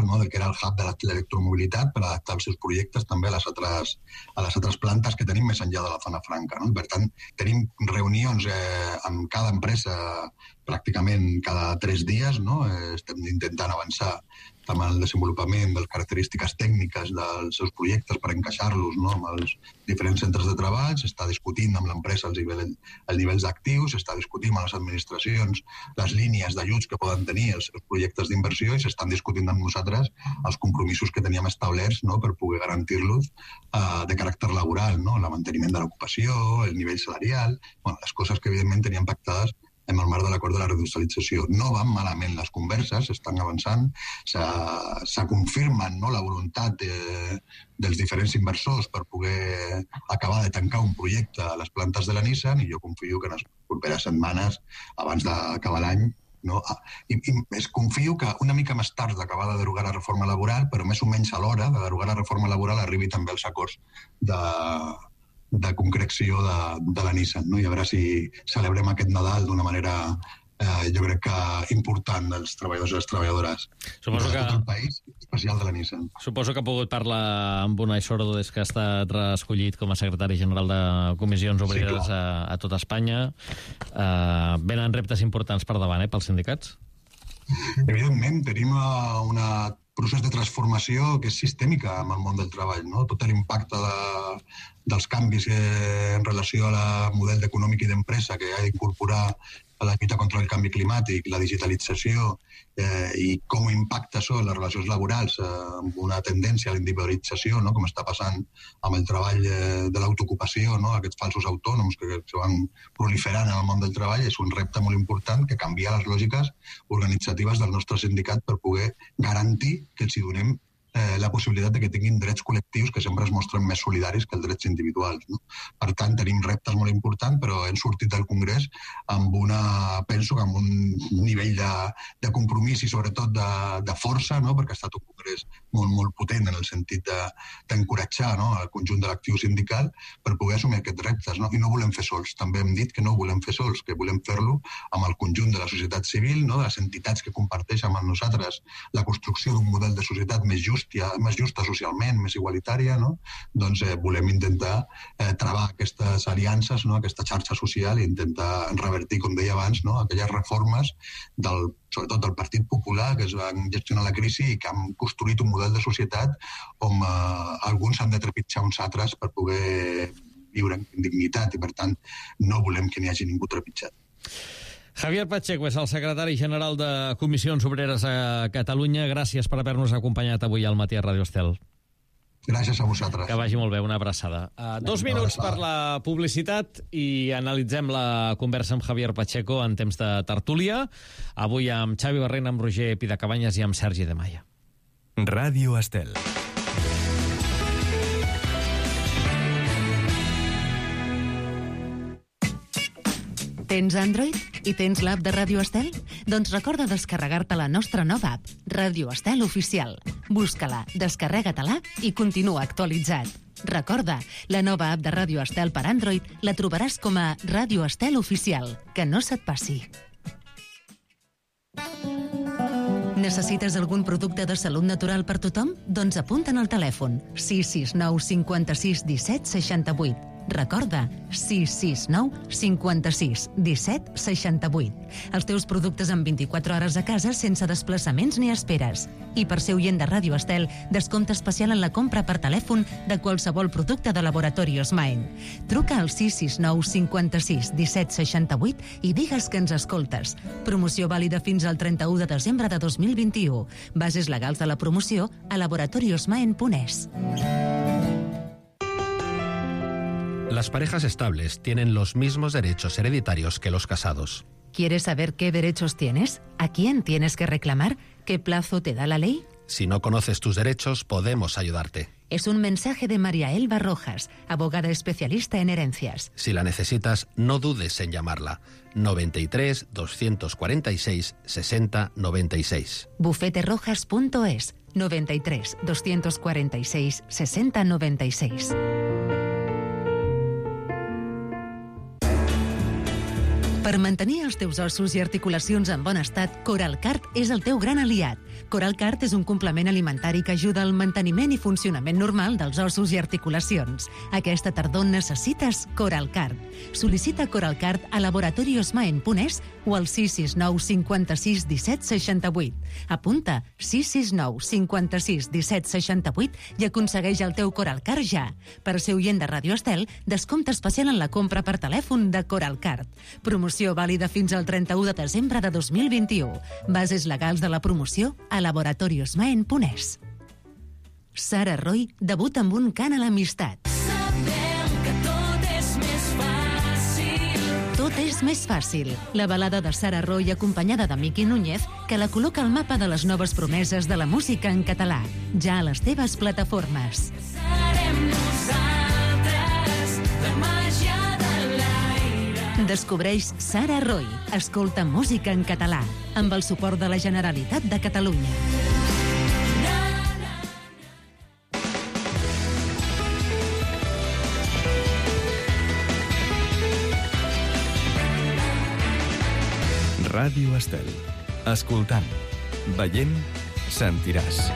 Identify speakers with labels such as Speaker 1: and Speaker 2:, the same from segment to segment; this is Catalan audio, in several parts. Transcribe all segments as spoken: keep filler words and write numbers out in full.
Speaker 1: no?, del que era el hub de l'electromobilitat per adaptar els seus projectes també a les altres, a les altres plantes que tenim més enllà de la zona franca, no? Per tant, tenim reunions eh, amb cada empresa pràcticament cada tres dies, no? Eh, estem intentant avançar amb el desenvolupament de les característiques tècniques dels seus projectes per encaixar-los, no?, amb els diferents centres de treball, s'està discutint amb l'empresa els nivells, els nivells d'actius, s'està discutint amb les administracions les línies d'ajuts que poden tenir els seus projectes d'inversió i s'estan discutint amb nosaltres els compromisos que teníem establerts, no?, per poder garantir-los eh, de caràcter laboral, no?, el manteniment de l'ocupació, el nivell salarial, bueno, les coses que evidentment teníem pactades en el marc de l'acord de la reindustrialització. No van malament les converses, estan avançant, se confirmen, no?, la voluntat de, dels diferents inversors per poder acabar de tancar un projecte a les plantes de la Nissan i jo confio que en les properes setmanes, abans d'acabar l'any, no? I, i es confio que una mica més tard d'acabar de derogar la reforma laboral, però més o menys a l'hora de derogar la reforma laboral arribi també als acords de... de concreció de, de la Nissan, no? I a veure si celebrem aquest Nadal d'una manera eh, jo crec que important dels treballadors i les treballadores
Speaker 2: suposo
Speaker 1: de
Speaker 2: que...
Speaker 1: tot el país, especial de la Nissan.
Speaker 2: Suposo que ha pogut parlar amb Unai Sordo des que ha estat reescollit com a secretari general de Comissions Obreres sí, a, a tot Espanya. Uh, venen reptes importants per davant, eh, pels sindicats?
Speaker 1: Evidentment, tenim una procés de transformació que és sistèmica en el món del treball, no? Tot l'impacte de, dels canvis eh, en relació al model econòmic i d'empresa que ha d'incorporar a la lluita contra el canvi climàtic, la digitalització eh, i com impacta això en les relacions laborals eh, amb una tendència a la individualització, no?, com està passant amb el treball eh, de l'autoocupació, no?, aquests falsos autònoms que, que se van proliferant en el món del treball, és un repte molt important que canvia les lògiques organitzatives del nostre sindicat per poder garantir que els hi donem eh, la possibilitat de que tinguin drets col·lectius que sempre es mostren més solidaris que els drets individuals, no? Per tant, tenim reptes molt importants, però hem sortit del Congrés amb una, penso que amb un nivell de, de compromís i sobretot de, de força, no?, perquè ha estat un Congrés molt, molt potent en el sentit d'encoratjar de, no?, el conjunt de l'actiu sindical per poder assumir aquests reptes, no? I no volem fer sols. També hem dit que no ho volem fer sols, que volem fer-lo amb el conjunt de la societat civil, no?, de les entitats que comparteixen amb nosaltres la construcció d'un model de societat més just, més justa socialment, més igualitària, no? Doncs eh, volem intentar eh, travar aquestes aliances, no?, aquesta xarxa social i intentar revertir, com deia abans, no?, aquelles reformes del, sobretot del Partit Popular que es van gestionar la crisi i que han construït un model de societat on eh, alguns han de trepitjar uns altres per poder viure amb dignitat i, per tant, no volem que n'hi hagi ningú trepitjat.
Speaker 2: Javier Pacheco és el secretari general de Comissions Obreres a Catalunya. Gràcies per haver-nos acompanyat avui al matí a Ràdio Estel.
Speaker 1: Gràcies a vosaltres.
Speaker 2: Que vagi molt bé, una abraçada. Uh, dos minuts per la publicitat i analitzem la conversa amb Javier Pacheco en temps de tertúlia. Avui amb Xavi Barrena, amb Roger Pidacabanyes i amb Sergi de Maia.
Speaker 3: Ràdio Estel.
Speaker 4: Tens Android i tens l'app de Ràdio Estel? Doncs recorda descarregar-te la nostra nova app, Ràdio Estel Oficial. Busca-la, descarrega-te-la i continua actualitzat. Recorda, la nova app de Ràdio Estel per Android la trobaràs com a Ràdio Estel Oficial. Que no se't passi. Necessites algun producte de salut natural per tothom? Doncs apunta'n al telèfon sis sis nou cinquanta-sis disset seixanta-vuit. Recorda, sis sis nou cinquanta-sis disset seixanta-vuit. Els teus productes en vint-i-quatre hores a casa sense desplaçaments ni esperes. I per ser oient de Ràdio Estel, descompte especial en la compra per telèfon de qualsevol producte de Laboratori Osmaen. Truca al sis sis nou cinquanta-sis disset seixanta-vuit i digues que ens escoltes. Promoció vàlida fins al trenta-u de desembre de dos mil vint-i-u. Bases legals de la promoció a laboratori osmaen punt es.
Speaker 5: Las parejas estables tienen los mismos derechos hereditarios que los casados.
Speaker 4: ¿Quieres saber qué derechos tienes? ¿A quién tienes que reclamar? ¿Qué plazo te da la ley?
Speaker 5: Si no conoces tus derechos, podemos ayudarte.
Speaker 4: Es un mensaje de María Elba Rojas, abogada especialista en herencias.
Speaker 5: Si la necesitas, no dudes en llamarla. noventa y tres, doscientos cuarenta y seis, sesenta, noventa y seis.
Speaker 4: bufete rojas punto es, noventa y tres, doscientos cuarenta y seis, sesenta, noventa y seis. Per mantenir els teus ossos i articulacions en bon estat, Coralcart és el teu gran aliat. Coralcart és un complement alimentari que ajuda al manteniment i funcionament normal dels ossos i articulacions. Aquesta tardor necessites Coralcart. Sol·licita Coralcart a laboratoriosmaen.es o al sis sis nou cinquanta-sis disset seixanta-vuit. Apunta sis sis nou cinquanta-sis disset seixanta-vuit i aconsegueix el teu Coralcart ja. Per ser oient de Ràdio Estel, descompte especial en la compra per telèfon de Coralcart. Promoció vàlida fins al trenta-u de desembre de dos mil vint-i-u. Bases legals de la promoció a laboratoriosmaen.es. Sara Roy debuta amb un cant a l'amistat.
Speaker 6: Sabem que tot és més fàcil.
Speaker 4: Tot és més fàcil. La balada de Sara Roy acompanyada de Miqui Núñez que la col·loca al mapa de les noves promeses de la música en català. Ja a les teves plataformes.
Speaker 6: Serem nosaltres, la màgia de l'aire.
Speaker 4: Descobreix Sara Roy. Escolta música en català amb el suport de la Generalitat de Catalunya.
Speaker 3: Ràdio Estel. Escoltant, veient, sentiràs.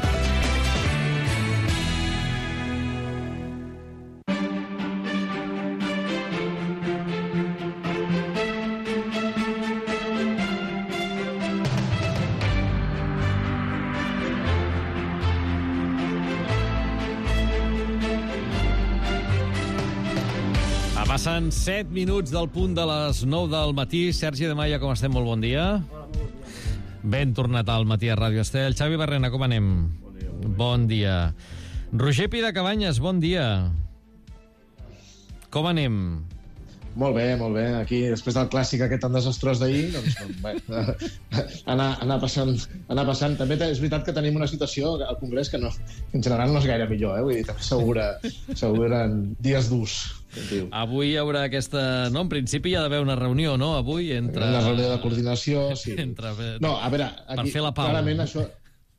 Speaker 2: Passen set minuts del punt de les nou del matí. Sergi de Maia, com estem? Molt bon dia. Ben tornat al matí a Ràdio Estel. Xavi Barrena, com anem? Bon dia. Bon dia. Bon dia. Roger Pidacabanyes, bon dia. Com anem?
Speaker 7: Molt bé, molt bé. Aquí, després del clàssic aquest tan desastrós d'ahir, doncs, bé, anar, anar, passant, anar passant. També és veritat que tenim una situació al Congrés que no, en general no és gaire millor, eh? Vull dir, també s'augura, s'auguren dies durs.
Speaker 2: Avui hi haurà aquesta... No, en principi hi ha d'haver una reunió, no? Avui, entre...
Speaker 7: Una reunió de coordinació, sí.
Speaker 2: Entre...
Speaker 7: No, a veure, aquí,
Speaker 2: per fer la pau.
Speaker 7: Clarament això...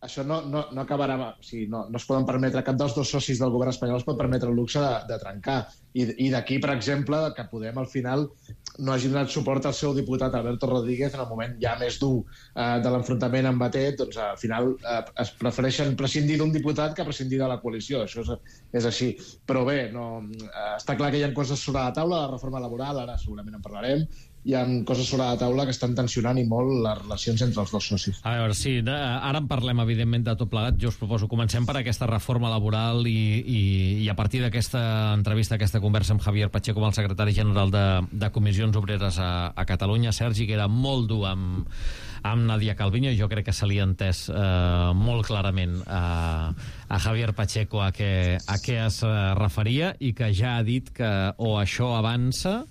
Speaker 7: Això no, no, no acabarà... O sigui, no, no es poden permetre, cap dels dos socis del govern espanyol es pot permetre el luxe de, de trencar. I, i d'aquí, per exemple, que Podem al final no hagi donat suport al seu diputat Alberto Rodríguez en el moment ja més dur eh, de l'enfrontament amb Batet, doncs al final eh, es prefereixen prescindir d'un diputat que prescindir de la coalició. Això és, és així. Però bé, no, eh, està clar que hi ha coses sobre la taula, la reforma laboral, ara segurament en parlarem, hi ha coses sobre la taula que estan tensionant i molt les relacions entre els dos socis.
Speaker 2: A veure, sí, ara en parlem, evidentment, de tot plegat. Jo us proposo, comencem per aquesta reforma laboral i, i, i a partir d'aquesta entrevista, aquesta conversa amb Javier Pacheco, amb el secretari general de, de Comissions Obreres a, a Catalunya, Sergi, que era molt dur amb, amb Nadia Calviño, i jo crec que se li ha entès eh, molt clarament a, a Javier Pacheco a què, a què es referia i que ja ha dit que o això avança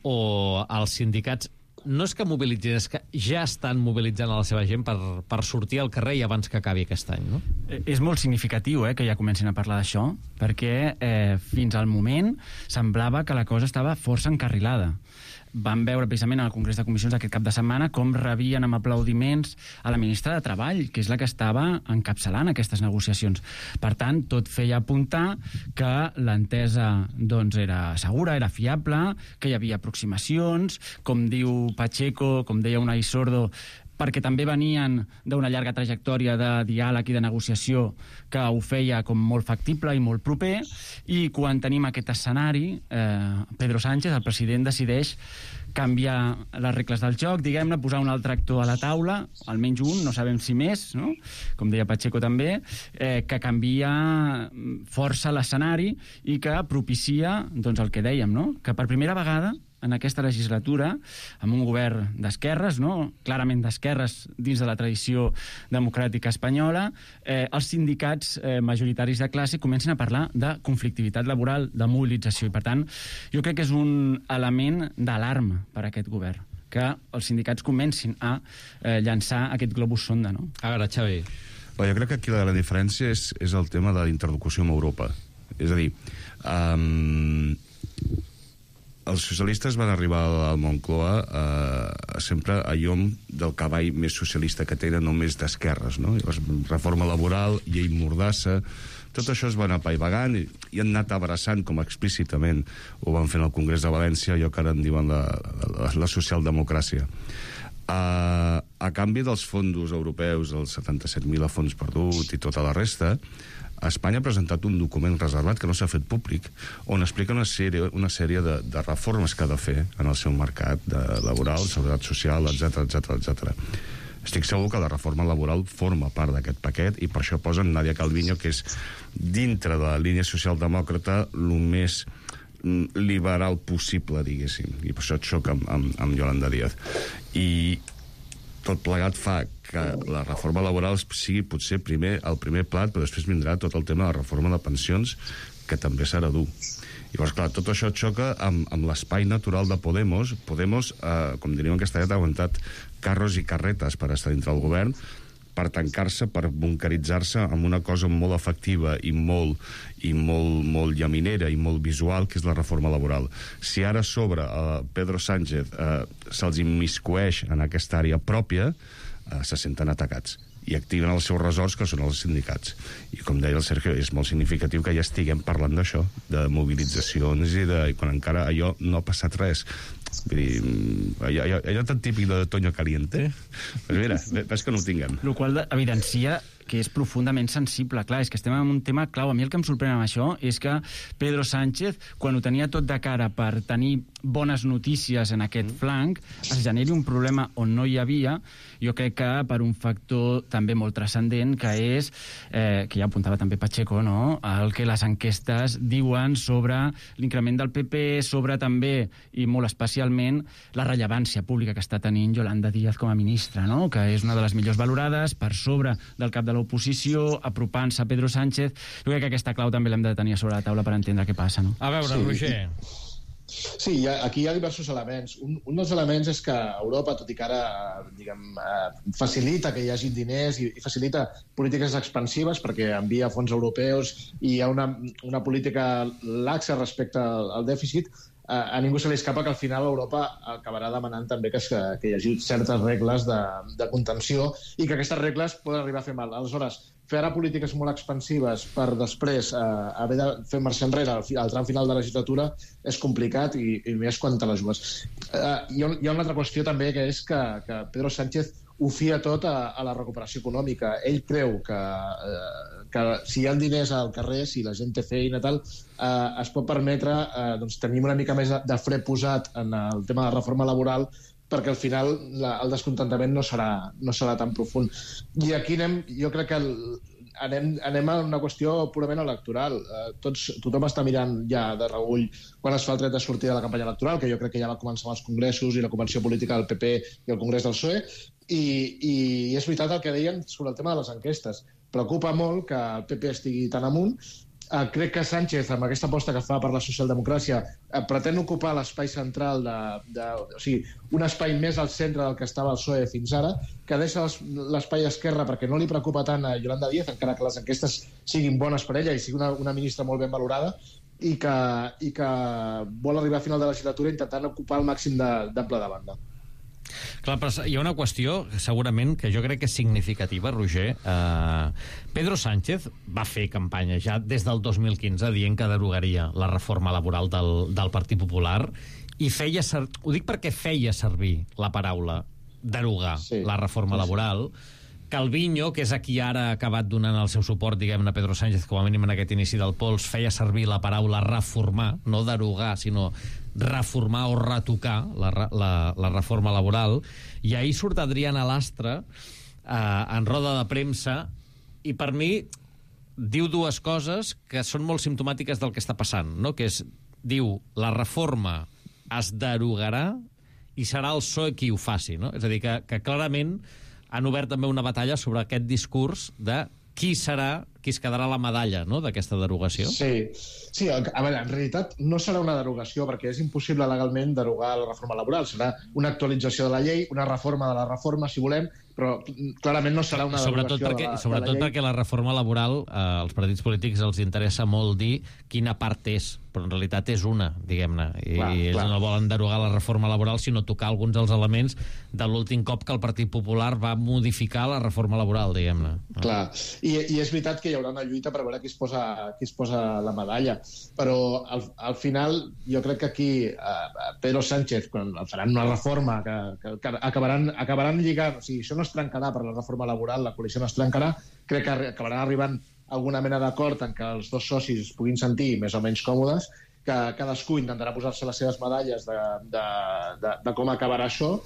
Speaker 2: o els sindicats no és que mobilitzin, és que ja estan mobilitzant a la seva gent per, per sortir al carrer i abans que acabi aquest any, no?
Speaker 8: És molt significatiu eh, que ja comencin a parlar d'això, perquè eh, fins al moment semblava que la cosa estava força encarrilada. Vam veure precisament al Congrés de Comissions aquest cap de setmana com rebien amb aplaudiments a la ministra de Treball, que és la que estava encapçalant aquestes negociacions. Per tant, tot feia apuntar que l'entesa doncs, era segura, era fiable, que hi havia aproximacions, com diu Pacheco, com deia Unai Sordo, perquè també venien d'una llarga trajectòria de diàleg i de negociació que ho feia com molt factible i molt proper, i quan tenim aquest escenari, eh, Pedro Sánchez, el president, decideix canviar les regles del joc, diguem-ne, posar un altre actor a la taula, almenys un, no sabem si més, no? Com deia Pacheco també, eh, que canvia força l'escenari i que propicia doncs, el que dèiem, no? Que per primera vegada en aquesta legislatura, amb un govern d'esquerres, no? Clarament d'esquerres dins de la tradició democràtica espanyola, eh, els sindicats eh, majoritaris de classe comencen a parlar de conflictivitat laboral, de mobilització, i per tant, jo crec que és un element d'alarma per a aquest govern, que els sindicats comencin a eh, llançar aquest globus sonda, no?
Speaker 2: A veure, Xavi.
Speaker 9: Bé, jo crec que aquí la gran diferència és, és el tema de la interlocució amb Europa. És a dir, um, els socialistes van arribar al Moncloa eh, sempre a llom del cavall més socialista que tenen, no més d'esquerres, no? Llavors, reforma laboral, llei mordassa, tot això es va anar apaivagant i, i han anat abraçant, com explícitament ho van fer en el Congrés de València, allò que ara en diuen la, la, la socialdemocràcia. A, a canvi dels fons europeus, els setanta-set mil a fons perdut i tota la resta, Espanya ha presentat un document reservat que no s'ha fet públic, on explica una sèrie, una sèrie de, de reformes que ha de fer en el seu mercat de laboral, seguretat social, etcètera, etcètera, etcètera. Estic segur que la reforma laboral forma part d'aquest paquet i per això posen Nadia Calviño, que és dintre de la línia socialdemòcrata el més liberal possible, diguéssim, i per això et xoca amb, amb, amb Yolanda Díaz. I tot plegat fa que la reforma laboral sigui potser primer el primer plat, però després vindrà tot el tema de la reforma de pensions, que també serà dur. Llavors, clar, tot això xoca amb, amb l'espai natural de Podemos. Podemos, eh, com diríem en castellà, ha aguantat carros i carretes per estar dintre del govern, per tancar-se, per bunkeritzar-se amb una cosa molt efectiva i molt, i molt, molt llaminera i molt visual, que és la reforma laboral. Si ara a sobre eh, Pedro Sánchez eh, se'ls immiscueix en aquesta àrea pròpia, eh, se senten atacats i activen els seus ressorts, que són els sindicats. I com deia el Sergio, és molt significatiu que ja estiguem parlant d'això, de mobilitzacions i, de, i quan encara allò no ha passat res. Vull dir, allò, allò, allò tan típic de Toño Caliente, pues mira, ves que no ho tinguem.
Speaker 8: El qual evidencia que és profundament sensible. Clar, és que estem en un tema clau. A mi el que em sorprèn amb això és que Pedro Sánchez, quan ho tenia tot de cara per tenir bones notícies en aquest flanc, es generi un problema on no hi havia, jo crec que per un factor també molt transcendent, que és, eh, que ja apuntava també Pacheco, no?, el que les enquestes diuen sobre l'increment del P P, sobre també, i molt especialment, la rellevància pública que està tenint Yolanda Díaz com a ministra, no?, que és una de les millors valorades, per sobre del cap de l'oposició, apropant-se a Pedro Sánchez. Jo crec que aquesta clau també l'hem de tenir sobre la taula per entendre què passa, no?
Speaker 2: A veure, sí. Roger...
Speaker 7: Sí, hi ha, aquí hi ha diversos elements. Un, un dels elements és que Europa, tot i que ara diguem, eh, facilita que hi hagi diners i, i facilita polítiques expansives perquè envia fons europeus i hi ha una, una política laxa respecte al, al dèficit, eh, a ningú se li escapa que al final Europa acabarà demanant també que, es, que hi hagi certes regles de, de contenció i que aquestes regles poden arribar a fer mal. Aleshores, fer ara polítiques molt expansives per després eh, haver de fer marxa enrere al, al tram final de la legislatura és complicat i, i més quan te la jugues. Eh, hi, ha, hi ha una altra qüestió també, que és que, que Pedro Sánchez ho fia tot a, a la recuperació econòmica. Ell creu que, eh, que si hi ha diners al carrer, si la gent té feina i tal, eh, es pot permetre eh, doncs, tenir una mica més de fre posat en el tema de la reforma laboral, perquè al final la, el descontentament no serà, no serà tan profund. I aquí anem, jo crec que el, anem, anem a una qüestió purament electoral. Eh, tots, tothom està mirant ja de reüll quan es fa el tret de sortida de la campanya electoral, que jo crec que ja va començar amb els congressos i la convenció política del P P i el congrés del P S O E, i, i és veritat el que deien sobre el tema de les enquestes. Preocupa molt que el P P estigui tan amunt. Uh, crec que Sánchez, amb aquesta aposta que fa per la socialdemocràcia, uh, pretén ocupar l'espai central, de, de, o sigui, un espai més al centre del que estava el P S O E fins ara, que deixa l'espai esquerre perquè no li preocupa tant a Yolanda Díaz, encara que les enquestes siguin bones per ella i sigui una, una ministra molt ben valorada, i que, i que vol arribar a final de la legislatura intentant ocupar el màxim d'ample de, de banda.
Speaker 2: Clar, però hi ha una qüestió, segurament, que jo crec que és significativa, Roger. Uh, Pedro Sánchez va fer campanya ja des del dos mil quinze dient que derogaria la reforma laboral del, del Partit Popular i feia ser... ho dic perquè feia servir la paraula derogar sí. la reforma laboral. Calviño, que és a qui ara ha acabat donant el seu suport, diguem-ne, a Pedro Sánchez, com a mínim en aquest inici del pols, feia servir la paraula reformar, no derogar, sinó reformar o retocar la, la, la reforma laboral. I ahir surt Adriana Lastra eh, en roda de premsa i per mi diu dues coses que són molt simptomàtiques del que està passant, no? Que és, diu, la reforma es derogarà i serà el P S O E qui ho faci, no? És a dir, que, que clarament han obert també una batalla sobre aquest discurs de qui serà, qui es quedarà la medalla, no?, d'aquesta derogació.
Speaker 7: Sí, sí, a veure, en realitat no serà una derogació, perquè és impossible legalment derogar la reforma laboral. Serà una actualització de la llei, una reforma de la reforma, si volem, però clarament no serà una
Speaker 2: sobretot
Speaker 7: derogació
Speaker 2: perquè,
Speaker 7: de la,
Speaker 2: sobretot
Speaker 7: de la llei.
Speaker 2: perquè la reforma laboral, eh, als partits polítics els interessa molt dir quina part és però en realitat és una, diguem-ne, i
Speaker 7: clar,
Speaker 2: ells
Speaker 7: clar.
Speaker 2: no volen derogar la reforma laboral, sinó tocar alguns dels elements de l'últim cop que el Partit Popular va modificar la reforma laboral, diguem-ne.
Speaker 7: Clar, I, i és veritat que hi haurà una lluita per veure qui es posa, qui es posa la medalla, però al, al final jo crec que aquí eh, Pedro Sánchez, quan faran una reforma que, que, que acabaran, acabaran lligant, o sigui, això no es trencarà per la reforma laboral, la coalició no es trencarà, crec que acabaran arribant alguna mena d'acord en què els dos socis es puguin sentir més o menys còmodes, que cadascú intentarà posar-se les seves medalles de, de, de, de com acabarà això.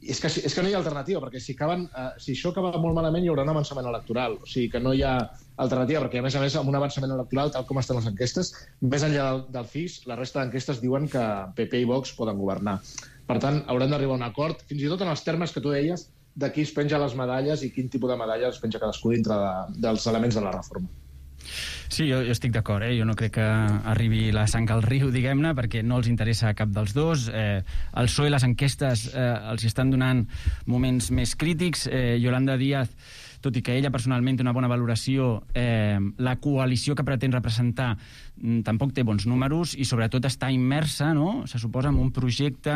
Speaker 7: I és que, és que no hi ha alternativa, perquè si, acaben, eh, si això acaba molt malament hi haurà un avançament electoral. O sigui que no hi ha alternativa, perquè a més a més amb un avançament electoral, tal com estan les enquestes, més enllà del, del C I S, la resta d'enquestes diuen que P P i Vox poden governar. Per tant, haurem d'arribar a un acord, fins i tot en els termes que tu deies, de qui es penja les medalles i quin tipus de medalles es penja cadascú dintre de, dels elements de la reforma.
Speaker 8: Sí, jo, jo estic d'acord, eh? Jo no crec que arribi la sang al riu, diguem-ne, perquè no els interessa cap dels dos. Eh, el P S O E, les enquestes, eh, els estan donant moments més crítics. Eh, Yolanda Díaz, tot i que ella personalment té una bona valoració, eh, la coalició que pretén representar tampoc té bons números i sobretot està immersa, no?, se suposa, en un projecte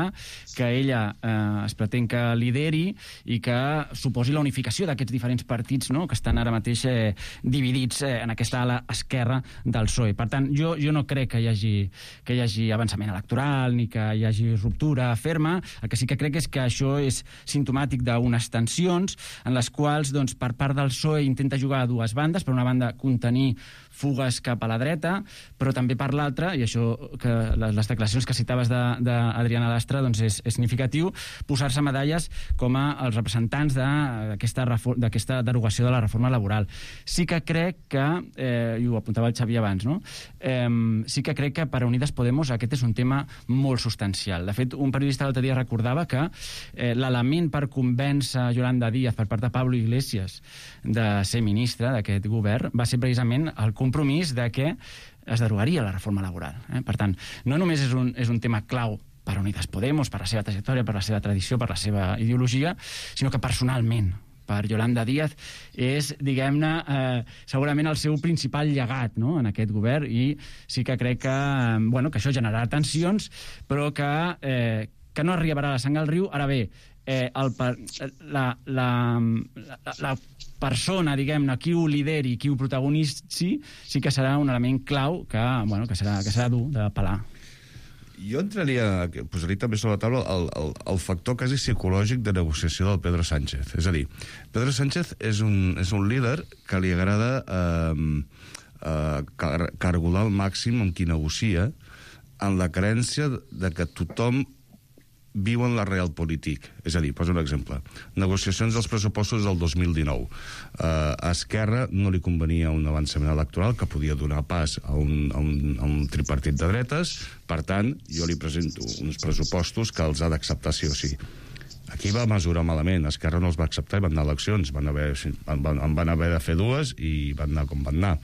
Speaker 8: que ella eh, es pretén que lideri i que suposi la unificació d'aquests diferents partits, no?, que estan ara mateix eh, dividits eh, en aquesta ala esquerra del P S O E. Per tant, jo, jo no crec que hi hagi, que hi hagi avançament electoral ni que hi hagi ruptura ferma. El que sí que crec és que això és simptomàtic d'unes tensions en les quals, doncs, per part del P S O E intenta jugar a dues bandes. Per una banda, contenir fugues cap a la dreta, però també per l'altra, i això que les declaracions que citaves d'Adriana Lastra doncs és, és significatiu, posar-se medalles com a els representants d'aquesta derogació de la reforma laboral. Sí que crec que, eh, i ho apuntava el Xavi abans, no? eh, sí que crec que per a Unides Podemos aquest és un tema molt substancial. De fet, un periodista l'altre dia recordava que eh, l'element per convèncer Yolanda Díaz per part de Pablo Iglesias de ser ministra d'aquest govern va ser precisament el compromís de que es derogaria la reforma laboral. Eh? Per tant, no només és un, és un tema clau per a Unides Podemos, per la seva trajectòria, per la seva tradició, per la seva ideologia, sinó que personalment, per Yolanda Díaz, és, diguem-ne, eh, segurament el seu principal llegat, no?, en aquest govern, i sí que crec que, eh, bueno, que això generarà tensions, però que, eh, que no arribarà la sang al riu. Ara bé, eh, el, la, la, la, la persona, diguem-ne, qui ho lideri, qui ho protagonitzi, sí que serà un element clau que, bueno, que serà, que serà dur de pelar.
Speaker 9: Jo entraria, posaria també sobre la taula el, el, el factor quasi psicològic de negociació del Pedro Sánchez. És a dir, Pedro Sánchez és un, és un líder que li agrada eh, eh, car cargolar al màxim amb qui negocia, en la creença de que tothom viu en la realpolitik. És a dir, poso un exemple. Negociacions dels pressupostos del dos mil dinou. Uh, a Esquerra no li convenia un avançament electoral que podia donar pas a un, a un, a un tripartit de dretes. Per tant, jo li presento uns pressupostos que els ha d'acceptar sí o sí. Aquí va mesurar malament. Esquerra no els va acceptar i van anar a eleccions. Van haver, van, van haver de fer dues i van anar com van anar.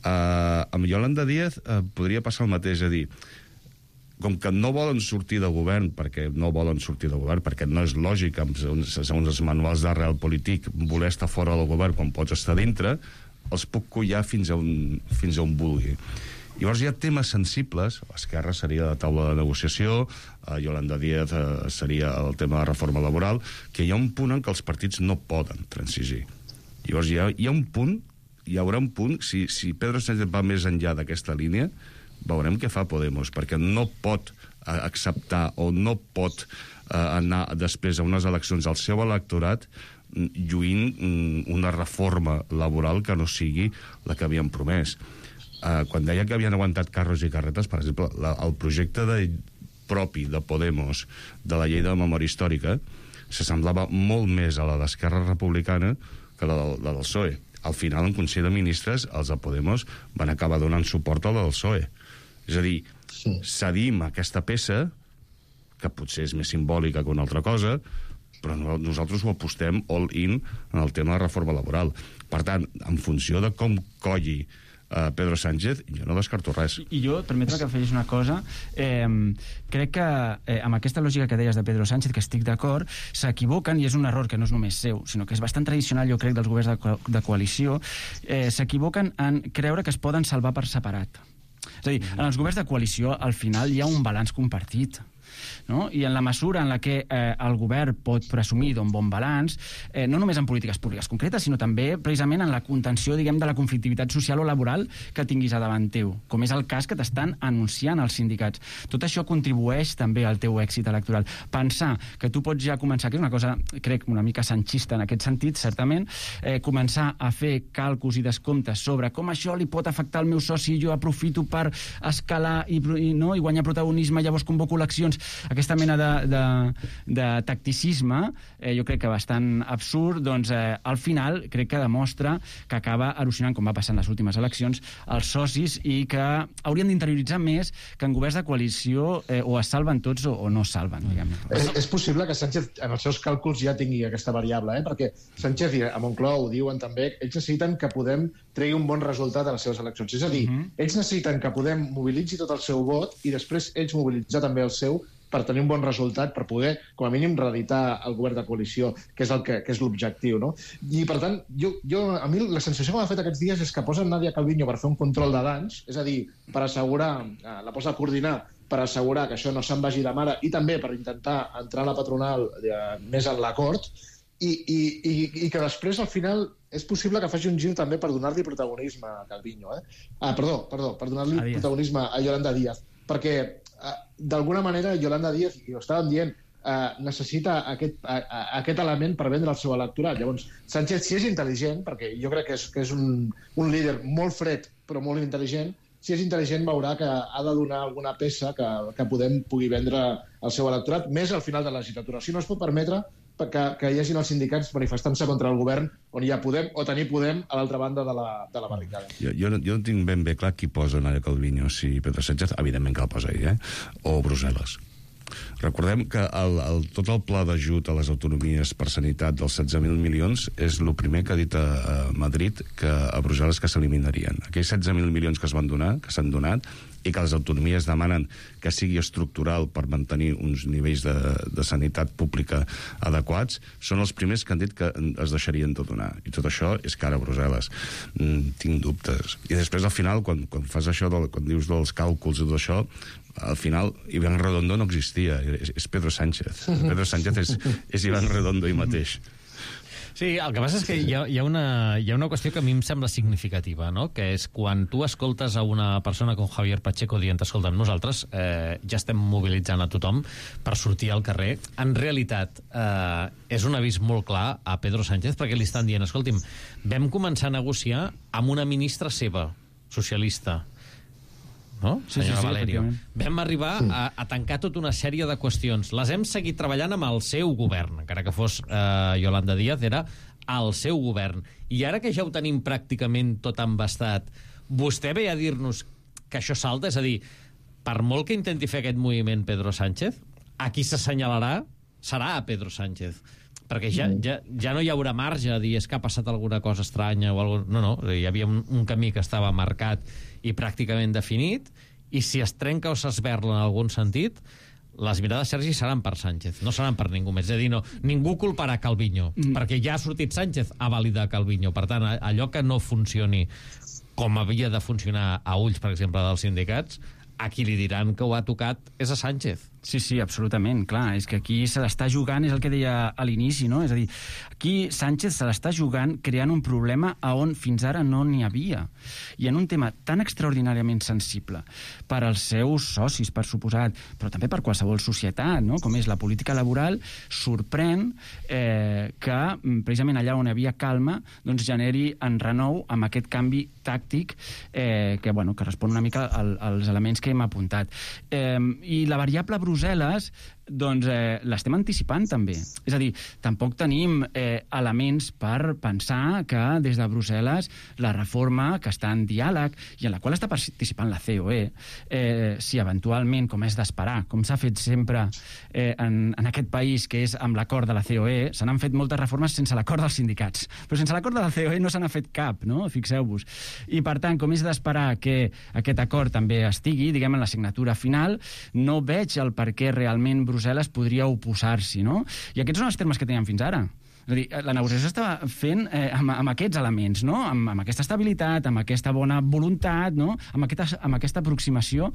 Speaker 9: Uh, amb Yolanda Díaz uh, podria passar el mateix, a dir, com que no volen sortir de govern, perquè no volen sortir de govern, perquè no és lògic, segons els manuals de realpolitik, voler estar fora del govern quan pots estar dintre, els puc collar fins a on, fins a on vulgui. Llavors hi ha temes sensibles, Esquerra seria la taula de negociació, eh, Yolanda Díaz eh, seria el tema de la reforma laboral, que hi ha un punt en què els partits no poden transigir. Llavors hi ha, hi ha un punt, hi haurà un punt, si, si Pedro Sánchez va més enllà d'aquesta línia, veurem què fa Podemos, perquè no pot acceptar o no pot eh, anar després a unes eleccions al seu electorat lluint una reforma laboral que no sigui la que havien promès. Eh, quan deia que havien aguantat carros i carretes, per exemple, la, el projecte de, propi de Podemos de la llei de memòria històrica s'assemblava molt més a la d'Esquerra Republicana que la, de, la del P S O E. Al final, en Consell de Ministres, els de Podemos van acabar donant suport a la del P S O E. És a dir, sí. cedim aquesta peça, que potser és més simbòlica que una altra cosa, però nosaltres ho apostem all in en el tema de reforma laboral. Per tant, en funció de com colli uh, Pedro Sánchez, jo no descarto res.
Speaker 8: I, i jo, permetre que afegis una cosa, eh, crec que eh, amb aquesta lògica que deies de Pedro Sánchez, que estic d'acord, s'equivoquen, i és un error que no és només seu, sinó que és bastant tradicional, jo crec, dels governs de, co de coalició, eh, s'equivoquen en creure que es poden salvar per separat. És a dir, en els governs de coalició, al final hi ha un balanç compartit. No? I en la mesura en la que eh, el govern pot presumir d'un bon balanç, eh, no només en polítiques públiques concretes, sinó també precisament en la contenció, diguem, de la conflictivitat social o laboral que tinguis a davant teu, com és el cas que t'estan anunciant els sindicats. Tot això contribueix també al teu èxit electoral. Pensar que tu pots ja començar, que és una cosa, crec, una mica sanchista en aquest sentit, certament, eh, començar a fer càlculs i descomptes sobre com això li pot afectar el meu soci i jo aprofito per escalar i, i, no, i guanyar protagonisme, llavors convoco eleccions. Aquesta mena de, de, de tacticisme, eh, jo crec que bastant absurd, doncs eh, al final crec que demostra que acaba erosionant, com va passar en les últimes eleccions, els socis i que haurien d'interioritzar més que en governs de coalició eh, o es salven tots o, o no es salven, diguem-ne.
Speaker 7: És, és possible que Sánchez en els seus càlculs ja tingui aquesta variable, eh? Perquè Sánchez i a Moncloa ho diuen també, ells necessiten que Podem tregui un bon resultat a les seves eleccions. És a dir, uh-huh. ells necessiten que Podem mobilitzi tot el seu vot i després ells mobilitzar també el seu per tenir un bon resultat, per poder, com a mínim, reeditar el govern de coalició, que és el que, que és l'objectiu, no? I, per tant, jo, jo, a mi la sensació que m'ha fet aquests dies és que posen Nadia Calviño per fer un control de danys, és a dir, per assegurar, la posa a coordinar, per assegurar que això no se'n vagi de mare i també per intentar entrar a la patronal eh, més en l'acord, i, i, i, i que després, al final, és possible que faci un gir també per donar-li protagonisme a Calviño, eh? Ah, perdó, perdó, per donar-li protagonisme a Yolanda Díaz, perquè d'alguna manera Yolanda Díaz, i ho estàvem dient, eh, necessita aquest, a, a, aquest element per vendre el seu electorat. Llavors, Sánchez, si és intel·ligent, perquè jo crec que és, que és un, un líder molt fred però molt intel·ligent, si és intel·ligent veurà que ha de donar alguna peça que, que Podem pugui vendre el seu electorat, més al final de la legislatura. Si no es pot permetre que, que hi hagin els sindicats manifestant-se contra el govern on hi ha Podem, o tenir Podem a l'altra banda de la, de la barricada.
Speaker 9: Jo, jo, no, jo no tinc ben bé clar qui posa Nadia Calviño, si Pedro Sánchez, evidentment que el posa ell, eh? O Brussel·les. Recordem que el, el, tot el pla d'ajut a les autonomies per sanitat dels setze mil milions és el primer que ha dit a, a Madrid que a Brussel·les que s'eliminarien. Aquells setze mil milions que es van donar, que s'han donat, i que les autonomies demanen que sigui estructural per mantenir uns nivells de, de sanitat pública adequats, són els primers que han dit que es deixarien de donar. I tot això és cara a Brussel·les. Mm, tinc dubtes. I després, al final, quan, quan fas això, del, quan dius dels càlculs i tot això, al final, Iván Redondo no existia, és, és Pedro Sánchez. Pedro Sánchez és, és Iván Redondo ell mateix.
Speaker 2: Sí, el que passa és que hi ha, hi ha, una, hi ha una qüestió que a mi em sembla significativa, no? Que és quan tu escoltes a una persona com Javier Pacheco dient, escolta'm, nosaltres eh, ja estem mobilitzant a tothom per sortir al carrer, en realitat eh, és un avís molt clar a Pedro Sánchez perquè li estan dient, escolti'm, vam començar a negociar amb una ministra seva, socialista, no?
Speaker 8: Sí,
Speaker 2: Senyora
Speaker 8: sí, sí,
Speaker 2: Valerio. Vam arribar sí. a, a tancar tota una sèrie de qüestions. Les hem seguit treballant amb el seu govern, encara que fos eh, Yolanda Díaz, era el seu govern. I ara que ja ho tenim pràcticament tot embastat, vostè ve a dir-nos que això salta? És a dir, per molt que intenti fer aquest moviment Pedro Sánchez, a qui s'assenyalarà serà a Pedro Sánchez. Perquè ja, ja, ja no hi haurà marge a dir és que ha passat alguna cosa estranya o alguna... No, no, hi havia un, un camí que estava marcat i pràcticament definit, i si es trenca o s'esberla en algun sentit, les mirades, Sergi, seran per Sánchez, no seran per ningú més. És a dir, no, ningú culparà Calviño, mm. perquè ja ha sortit Sánchez a validar Calviño. Per tant, allò que no funcioni com havia de funcionar a ulls, per exemple, dels sindicats, a qui li diran que ho ha tocat és a Sánchez.
Speaker 8: Sí, sí, absolutament, clar. És que aquí se l'està jugant, és el que deia a l'inici, no? És a dir, aquí Sánchez se l'està jugant creant un problema a on fins ara no n'hi havia. I en un tema tan extraordinàriament sensible per als seus socis, per suposat, però també per qualsevol societat, no? Com és la política laboral, sorprèn eh, que precisament allà on hi havia calma doncs generi enrenou amb aquest canvi tàctic eh, que, bueno, que respon una mica al, als elements que hem apuntat. Eh, I la variable Brussel·les, doncs eh, l'estem anticipant també. És a dir, tampoc tenim eh, elements per pensar que des de Brussel·les la reforma que està en diàleg i en la qual està participant la C O E, eh, si eventualment, com és d'esperar, com s'ha fet sempre eh, en, en aquest país, que és amb l'acord de la C O E, se n'han fet moltes reformes sense l'acord dels sindicats. Però sense l'acord de la C O E no se n'ha fet cap, no? Fixeu-vos. I per tant, com és d'esperar que aquest acord també estigui, diguem, en la signatura final, no veig el per què realment Brussel·les podria oposar-s'hi, no? I aquests són els termes que teníem fins ara. És a dir, la negociació estava fent eh, amb, amb aquests elements, no? Amb, amb aquesta estabilitat, amb aquesta bona voluntat, no? Amb aquesta, amb aquesta aproximació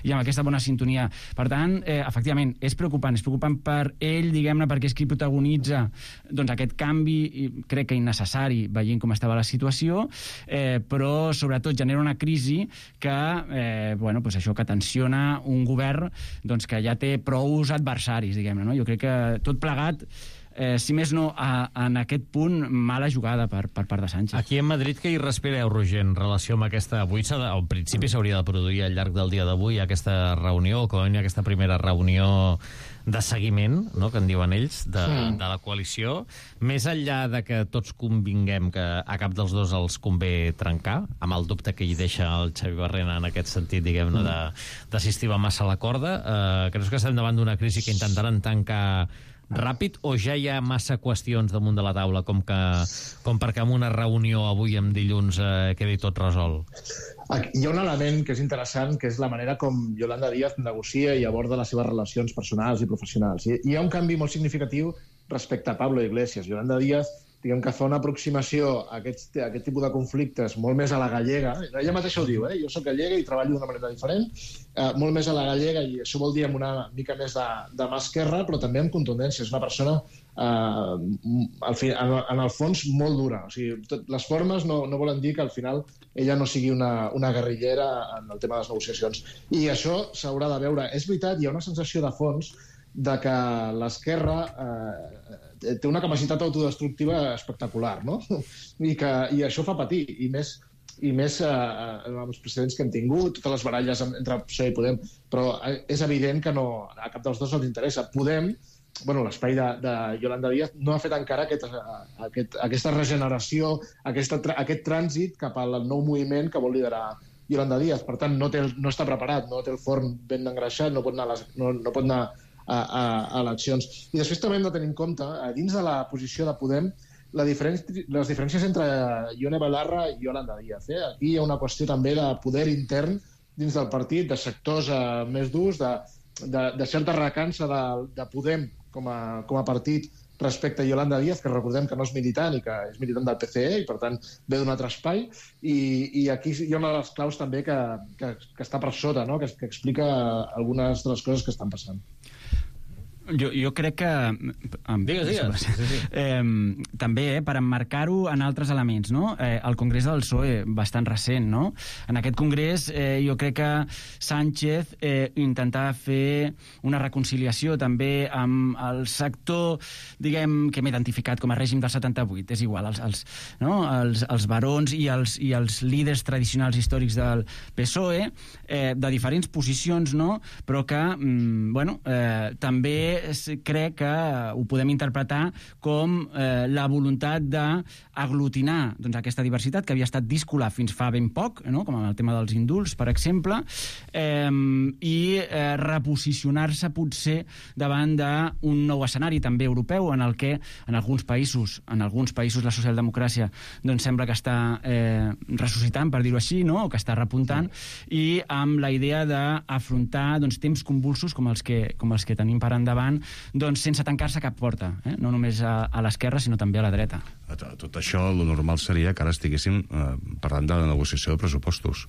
Speaker 8: i amb aquesta bona sintonia. Per tant, eh, efectivament, és preocupant. És preocupant per ell, diguem-ne, perquè és qui protagonitza doncs, aquest canvi, i crec que innecessari, veient com estava la situació, eh, però sobretot genera una crisi que, eh, bueno, pues això que tensiona un govern doncs, que ja té prous adversaris, diguem-ne, no? Jo crec que tot plegat, Eh, si més no, a, en aquest punt, mala jugada per, per part de Sánchez.
Speaker 2: Aquí a Madrid, què hi respireu, Roger, en relació amb aquesta... Avui, al principi, s'hauria de produir al llarg del dia d'avui aquesta reunió, com a aquesta primera reunió de seguiment, no?, que en diuen ells, de, sí. de la coalició. Més enllà de que tots convinguem que a cap dels dos els convé trencar, amb el dubte que hi deixa el Xavi Barrena en aquest sentit, diguem-ne, d'assistir massa a la corda, eh, creus que estem davant d'una crisi que intentaran tancar ràpid, o ja hi ha massa qüestions damunt de la taula com, que, com perquè en una reunió avui amb dilluns eh, quedi tot resolt?
Speaker 7: Hi ha un element que és interessant, que és la manera com Yolanda Díaz negocia i aborda les seves relacions personals i professionals. I hi ha un canvi molt significatiu respecte a Pablo Iglesias. Yolanda Díaz, diguem que fa una aproximació a aquest, a aquest tipus de conflictes molt més a la gallega. Ella mateixa ho diu, eh? Jo soc gallega i treballo d'una manera diferent, eh, molt més a la gallega, i això vol dir amb una mica més de, de mà esquerra, però també amb contundència. És una persona, eh, al fi, en, en el fons, molt dura. O sigui, tot, les formes no, no volen dir que al final ella no sigui una, una guerrillera en el tema de les negociacions. I això s'haurà de veure. És veritat, hi ha una sensació de fons de que l'esquerra eh, té una capacitat autodestructiva espectacular, no? I, que, i això fa patir, i més, i més eh, amb els precedents que hem tingut, totes les baralles entre P S O E i Podem, però és evident que no, a cap dels dos els interessa. Podem, bueno, l'espai de, de Yolanda Díaz no ha fet encara aquest, aquest, aquesta regeneració, aquesta, aquest trànsit cap al nou moviment que vol liderar Yolanda Díaz. Per tant, no, té, no està preparat, no té el forn ben engreixat, no pot anar a les, no, no pot anar a, a, a eleccions. I després també hem de tenir en compte, dins de la posició de Podem, la diferència, les diferències entre Ione Belarra i Yolanda Díaz. Eh? Aquí hi ha una qüestió també de poder intern dins del partit, de sectors eh, més durs, de, de, de certa recança de, de Podem com a, com a partit respecte a Yolanda Díaz, que recordem que no és militant i que és militant del P C E i, per tant, ve d'un altre espai. I, i aquí hi ha una de les claus també que, que, que està per sota, no? que, que explica algunes de les coses que estan passant.
Speaker 8: Jo, jo crec que...
Speaker 2: Digues, digues. Sí, sí.
Speaker 8: Eh, també, eh, per emmarcar-ho en altres elements, no? Eh, el Congrés del P S O E, bastant recent, no? En aquest Congrés, eh, jo crec que Sánchez eh, intentava fer una reconciliació també amb el sector, diguem, que hem identificat com a règim del setanta-vuit, és igual, els, els, no? els, els barons i els, i els líders tradicionals històrics del P S O E, eh, de diferents posicions, no? Però que, mm, bueno, eh, també crec que ho podem interpretar com eh, la voluntat d'aglutinar doncs, aquesta diversitat que havia estat díscola fins fa ben poc, no? Com en el tema dels indults, per exemple, eh, i eh, reposicionar-se potser davant d'un nou escenari també europeu en el que en alguns països, en alguns països la socialdemocràcia doncs, sembla que està eh, ressuscitant, per dir-ho així, no? O que està repuntant, i amb la idea d'afrontar doncs, temps convulsos com els que, com els que tenim per endavant, doncs sense tancar-se cap porta, eh? No només a, a l'esquerra, sinó també a la dreta.
Speaker 9: A tot això, el normal seria que ara estiguéssim eh, parlant de la negociació de pressupostos.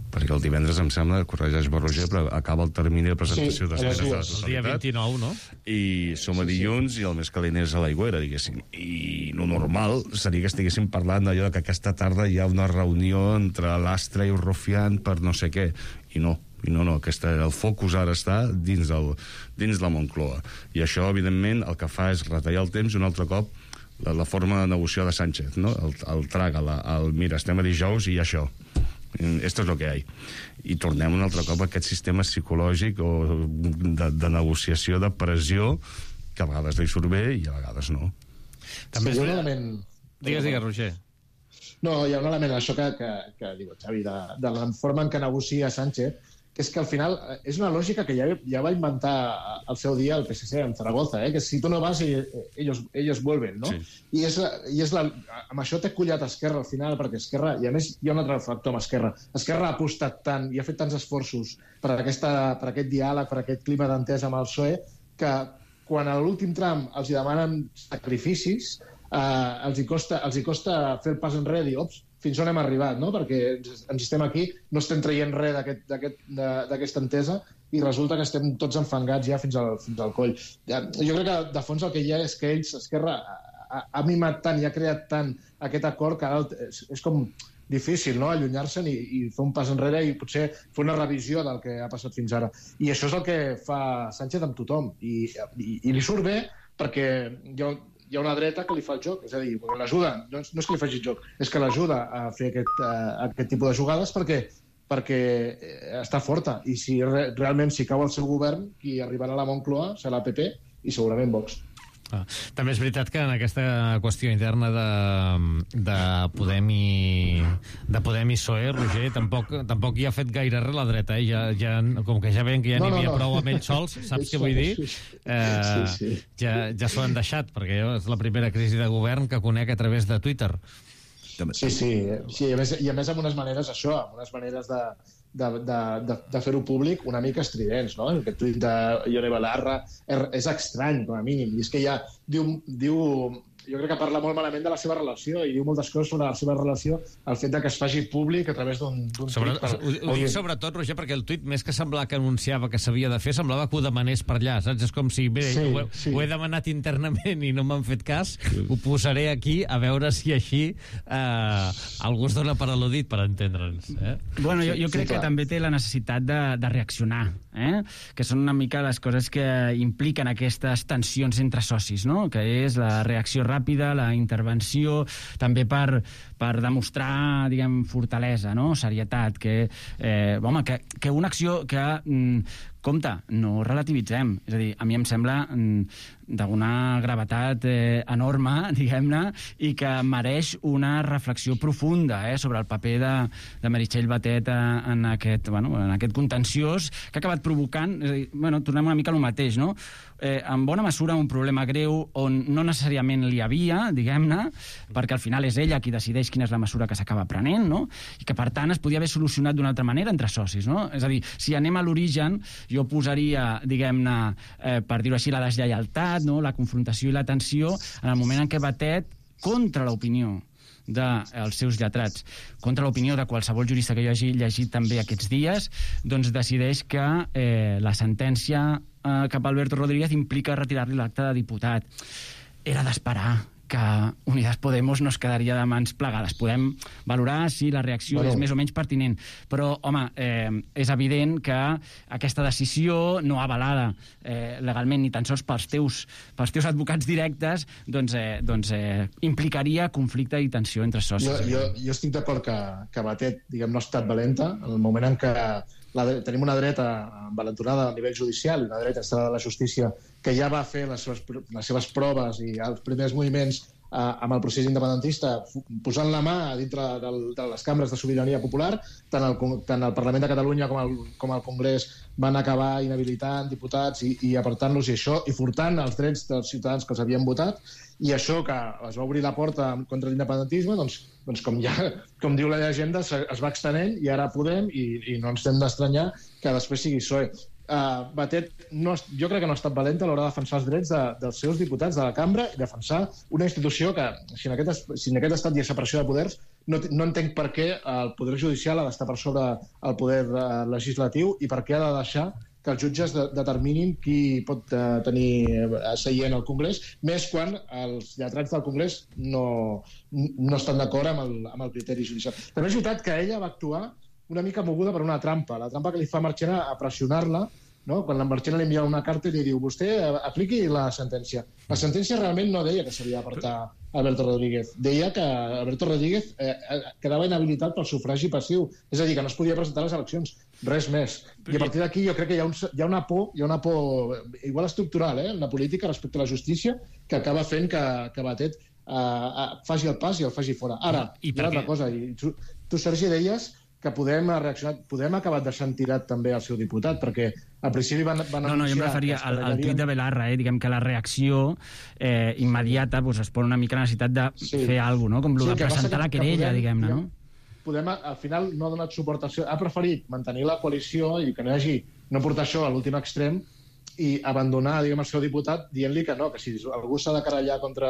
Speaker 9: Perquè el divendres, em sembla, corregeix Roger, però acaba el termini de presentació
Speaker 7: sí,
Speaker 9: d'esmenes de la
Speaker 2: totalitat. El dia vint-i-nou, no?
Speaker 9: I som a dilluns, sí, sí. I el més calent és a l'aigüera, diguéssim. I lo normal seria que estiguéssim parlant d'allò que aquesta tarda hi ha una reunió entre l'Astra i el Rufián per no sé què. I no. I no, no, aquesta, el focus ara està dins, el, dins la Moncloa. I això, evidentment, el que fa és retallar el temps un altre cop la, la forma de negociar de Sánchez, no? El, el traga, la, el mira, estem a dijous i hi ha això. Esto es lo que hay. I tornem un altre cop a aquest sistema psicològic o de, de negociació, de pressió, que a vegades li surt bé i a vegades no.
Speaker 2: També
Speaker 7: sí,
Speaker 2: és...
Speaker 7: un element...
Speaker 2: Digues, digues, Roger.
Speaker 7: No, hi ha un element, això que, que, que diu Xavi, de, de la forma en què negocia Sánchez, que és que al final és una lògica que ja, ja va inventar al seu dia el P S C en Zaragoza, eh? Que si tu no vas, ellos, ellos vuelven, no? Sí. I, és, i és la, amb això té collat Esquerra al final, perquè Esquerra, i a més hi ha un altre factor amb Esquerra, Esquerra ha apostat tant i ha fet tants esforços per, aquesta, per aquest diàleg, per aquest clima d'entesa amb el P S O E, que quan a l'últim tram els hi demanen sacrificis, eh, els, hi costa, els hi costa fer el pas enrere i dir, ops, fins on hem arribat, no? Perquè ens estem aquí, no estem traient res d'aquesta entesa i resulta que estem tots enfangats ja fins al, fins al coll. Jo crec que de fons el que hi ha és que ells, Esquerra, ha, ha mimat tant i ha creat tant aquest acord que ara és, és com difícil, no?, allunyar-se'n i, i fer un pas enrere i potser fer una revisió del que ha passat fins ara. I això és el que fa Sánchez amb tothom. I, i, i li surt bé perquè hi ha, hi ha una dreta que li fa el joc, és a dir, l'ajuda, no, no és que li faci el joc, és que l'ajuda a fer aquest, a, aquest tipus de jugades perquè perquè està forta, i si re, realment si cau el seu govern, qui arribarà a la Moncloa serà P P i segurament Vox.
Speaker 2: Ah, també és veritat que en aquesta qüestió interna de, de Podem i de Podem i P S O E, Roger, tampoc, tampoc hi ha fet gaire res la dreta, eh? Ja, ja, com que ja veiem que ja n'hi no, no, havia no. prou amb ells sols, saps què vull dir? Eh, sí, sí. Ja, ja s'ho han deixat, perquè és la primera crisi de govern que conec a través de Twitter.
Speaker 7: Sí, sí, sí, i, a més, i a més amb unes maneres, això, amb unes maneres de, de, de, de, de fer-ho públic una mica estridents, no? Aquest tuit de Ione Belarra és estrany, com a mínim, i és que ja diu, diu, jo crec que parla molt malament de la seva relació i diu moltes coses sobre la seva relació, el fet de que es faci públic a través d'un tuit.
Speaker 2: Per... Ho, ho dic sobretot, Roger, perquè el tuit, més que semblar que anunciava que s'havia de fer, semblava que ho demanés per allà, saps? És com si, bé, sí, ho, sí. ho he demanat internament i no m'han fet cas, ho posaré aquí a veure si així eh, algú es dona per al·ludit, per entendre'ns. Eh?
Speaker 8: Bueno, jo, jo crec sí, que també té la necessitat de, de reaccionar, eh? Que són una mica les coses que impliquen aquestes tensions entre socis, no? Que és la reacció ràpida, la intervenció, també per, per demostrar, diguem, fortalesa, no? Serietat, que, eh, home, que, que una acció que, mm, compte, no relativitzem. És a dir, a mi em sembla mm, d'una gravetat eh, enorme, diguem-ne, i que mereix una reflexió profunda eh, sobre el paper de, de Meritxell Batet en aquest, bueno, en aquest contenciós que ha acabat provocant, és a dir, bueno, tornem una mica al mateix, no? Eh, en bona mesura un problema greu on no necessàriament li havia, diguem-ne, perquè al final és ella qui decideix quina és la mesura que s'acaba prenent, no? I que, per tant, es podia haver solucionat d'una altra manera entre socis, no? És a dir, si anem a l'origen, jo posaria, diguem-ne, eh, per dir-ho així, la deslleialtat, no? La confrontació i la tensió en el moment en què Batet, contra l'opinió dels seus lletrats, contra l'opinió de qualsevol jurista que jo hagi llegit també aquests dies, doncs decideix que eh, la sentència eh, cap a Alberto Rodríguez implica retirar-li l'acte de diputat. Era d'esperar que Unidas Podemos no es quedaria de mans plegades. Podem valorar si la reacció bueno. és més o menys pertinent, però, home, eh, és evident que aquesta decisió no avalada eh, legalment ni tan sols pels teus, pels teus advocats directes doncs, eh, doncs eh, implicaria conflicte i tensió entre socis.
Speaker 7: Jo, jo, jo estic d'acord que, que Batet, diguem, no ha estat valenta en el moment en què la, tenim una dreta envalentonada a nivell judicial, una dreta estrada de la justícia que ja va fer les seves, les seves proves i els primers moviments eh, amb el procés independentista, posant la mà dintre del, de les cambres de sobirania popular, tant el, tant el Parlament de Catalunya com el, com el Congrés van acabar inhabilitant diputats i, i apartant-los i això, i furtant els drets dels ciutadans que els havien votat, i això que es va obrir la porta contra l'independentisme, doncs, doncs com, ja, com diu la llegenda, es va extenent i ara Podem, i, i no ens hem d'estranyar que després sigui P S O E. Uh, Batet, no, jo crec que no ha estat valenta a l'hora de defensar els drets de, dels seus diputats de la cambra i defensar una institució que, si en aquest, si en aquest estat hi ha separació de poders, no, no entenc per què el poder judicial ha d'estar per sobre el poder uh, legislatiu i per què ha de deixar que els jutges de, determinin qui pot uh, tenir seient al Congrés, més quan els lletrats del Congrés no, no estan d'acord amb, el, amb el criteri judicial. També és veritat que ella va actuar una mica moguda per una trampa, la trampa que li fa Marchena a pressionar-la, no? Quan la Marchena li envia una carta i li diu vostè apliqui la sentència. La sentència realment no deia que s'havia d'apartar Alberto Rodríguez, deia que Alberto Rodríguez eh, quedava inhabilitat pel sufragi passiu, és a dir, que no es podia presentar a les eleccions, res més. I a partir d'aquí jo crec que hi ha, un, hi ha una por, hi ha una por igual estructural, eh, en la política respecte a la justícia, que acaba fent que, que Batet eh, faci el pas i el faci fora. Ara, I hi ha una altra cosa, i tu, tu Sergi, deies que Podem ha reaccionat, Podem ha acabat deixant tirat també el seu diputat, perquè al principi van, van
Speaker 8: no, no, jo em referia al, al tuit de Belarra, eh? Diguem que la reacció eh, immediata pues, es pon una mica la necessitat de sí. fer alguna cosa, no? Com sí, de presentar la querella, diguem-ne, no?
Speaker 7: Podem, al final, no ha donat suport al seu... Ha preferit mantenir la coalició i que no hi hagi... no portar això a l'últim extrem i abandonar, diguem, el seu diputat dient-li que no, que si algú s'ha de querellar contra,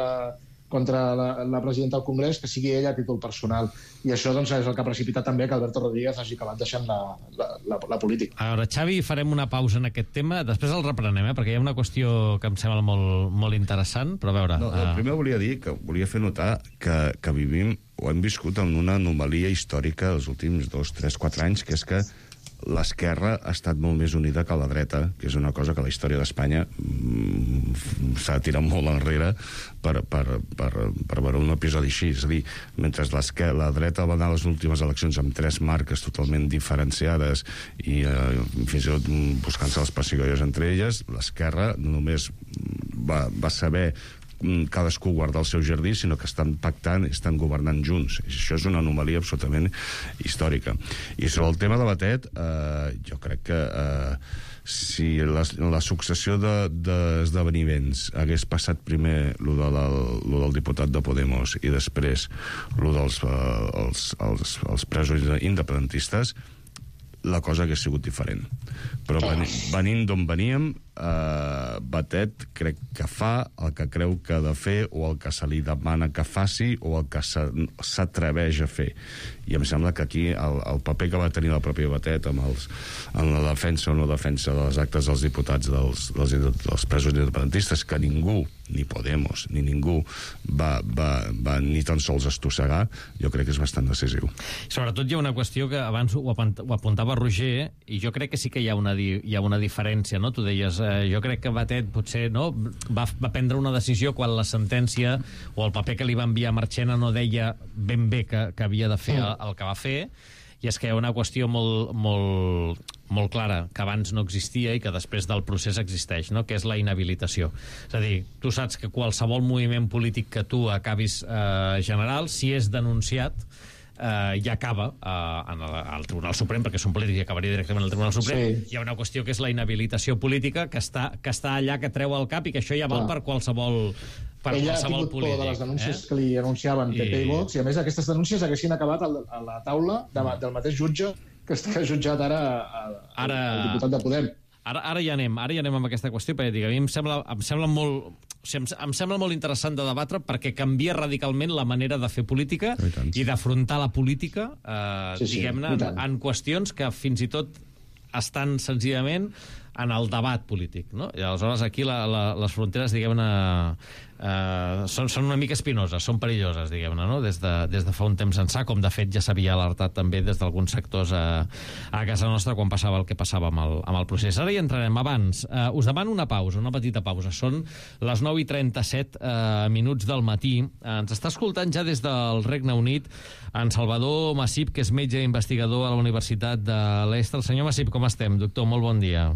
Speaker 7: contra la, la presidenta del Congrés, que sigui ella a títol personal. I això doncs, és el que ha precipitat també que Alberto Rodríguez hagi acabat deixant la, la, la, la política.
Speaker 2: A veure, Xavi, farem una pausa en aquest tema, després el reprenem, eh? perquè hi ha una qüestió que em sembla molt, molt interessant, però a veure...
Speaker 9: No, uh... primer volia dir que volia fer notar que, que vivim o hem viscut en una anomalia històrica els últims dos, tres, quatre anys, que és que l'esquerra ha estat molt més unida que la dreta, que és una cosa que la història d'Espanya mm, s'ha tirat molt enrere per, per, per, per veure un episodi així. És a dir, mentre la dreta va anar a les últimes eleccions amb tres marques totalment diferenciades i eh, fins i tot buscant-se les pessigolles entre elles, l'esquerra només va, va saber cadascú guardar el seu jardí, sinó que estan pactant i estan governant junts. I això és una anomalia absolutament històrica. I sobre el tema de Batet, eh, jo crec que eh, si la, la successió d'esdeveniments de, hagués passat primer lo, de la, lo del diputat de Podemos i després lo dels eh, els, els, els presos independentistes, la cosa hagués sigut diferent. Però venint d'on veníem, eh, Batet crec que fa el que creu que ha de fer o el que se li demana que faci o el que s'atreveix a fer. I em sembla que aquí el, el paper que va tenir la pròpia Batet amb els, en la defensa o no defensa de les actes dels diputats dels, dels, dels presos independentistes, que ningú, ni Podemos, ni ningú va, va, va ni tan sols estossegar, jo crec que és bastant decisiu.
Speaker 2: Sobretot hi ha una qüestió que abans ho apuntava Roger, i jo crec que sí que hi ha una, hi ha una diferència, no? Tu deies, eh, jo crec que Batet potser no, va, va prendre una decisió quan la sentència o el paper que li va enviar Marchena no deia ben bé que, que havia de fer el, el que va fer, i és que hi ha una qüestió molt, molt, molt clara, que abans no existia i que després del procés existeix, no? Que és la inhabilitació. És a dir, tu saps que qualsevol moviment polític que tu acabis eh, general, si és denunciat, eh, ja acaba eh, en el, al Tribunal Suprem, perquè són polítics i acabaria directament al Tribunal Suprem. Sí. Hi ha una qüestió que és la inhabilitació política, que està, que està allà, que treu el cap, i que això ja val ah. per qualsevol... Per
Speaker 7: ella ha tingut por de les denúncies eh? que li anunciaven P P i, i Vox, i a més aquestes denúncies haguessin acabat a la taula de, del mateix jutge que està jutjat ara, a, a, ara el diputat de Podem.
Speaker 2: Ara, ara ja anem, ara ja anem amb aquesta qüestió, perquè dic, a mi em sembla, em sembla molt... O sigui, em, em sembla molt interessant de debatre, perquè canvia radicalment la manera de fer política i d'afrontar la política, eh, sí, sí, diguem-ne, en, en qüestions que fins i tot estan senzillament en el debat polític, no? I aleshores aquí la, la, les fronteres, diguem-ne, eh, són, són una mica espinoses, són perilloses, diguem-ne, no? Des de, des de fa un temps ençà, com de fet ja s'havia alertat també des d'alguns sectors a, a casa nostra quan passava el que passava amb el, amb el procés. Ara hi entrarem. Abans, eh, us demano una pausa, una petita pausa. Són les nou i trenta-set eh, minuts del matí. Eh, ens està escoltant ja des del Regne Unit en Salvador Massip, que és metge i investigador a la Universitat de Leicester. Senyor Massip, com estem? Doctor, molt bon dia.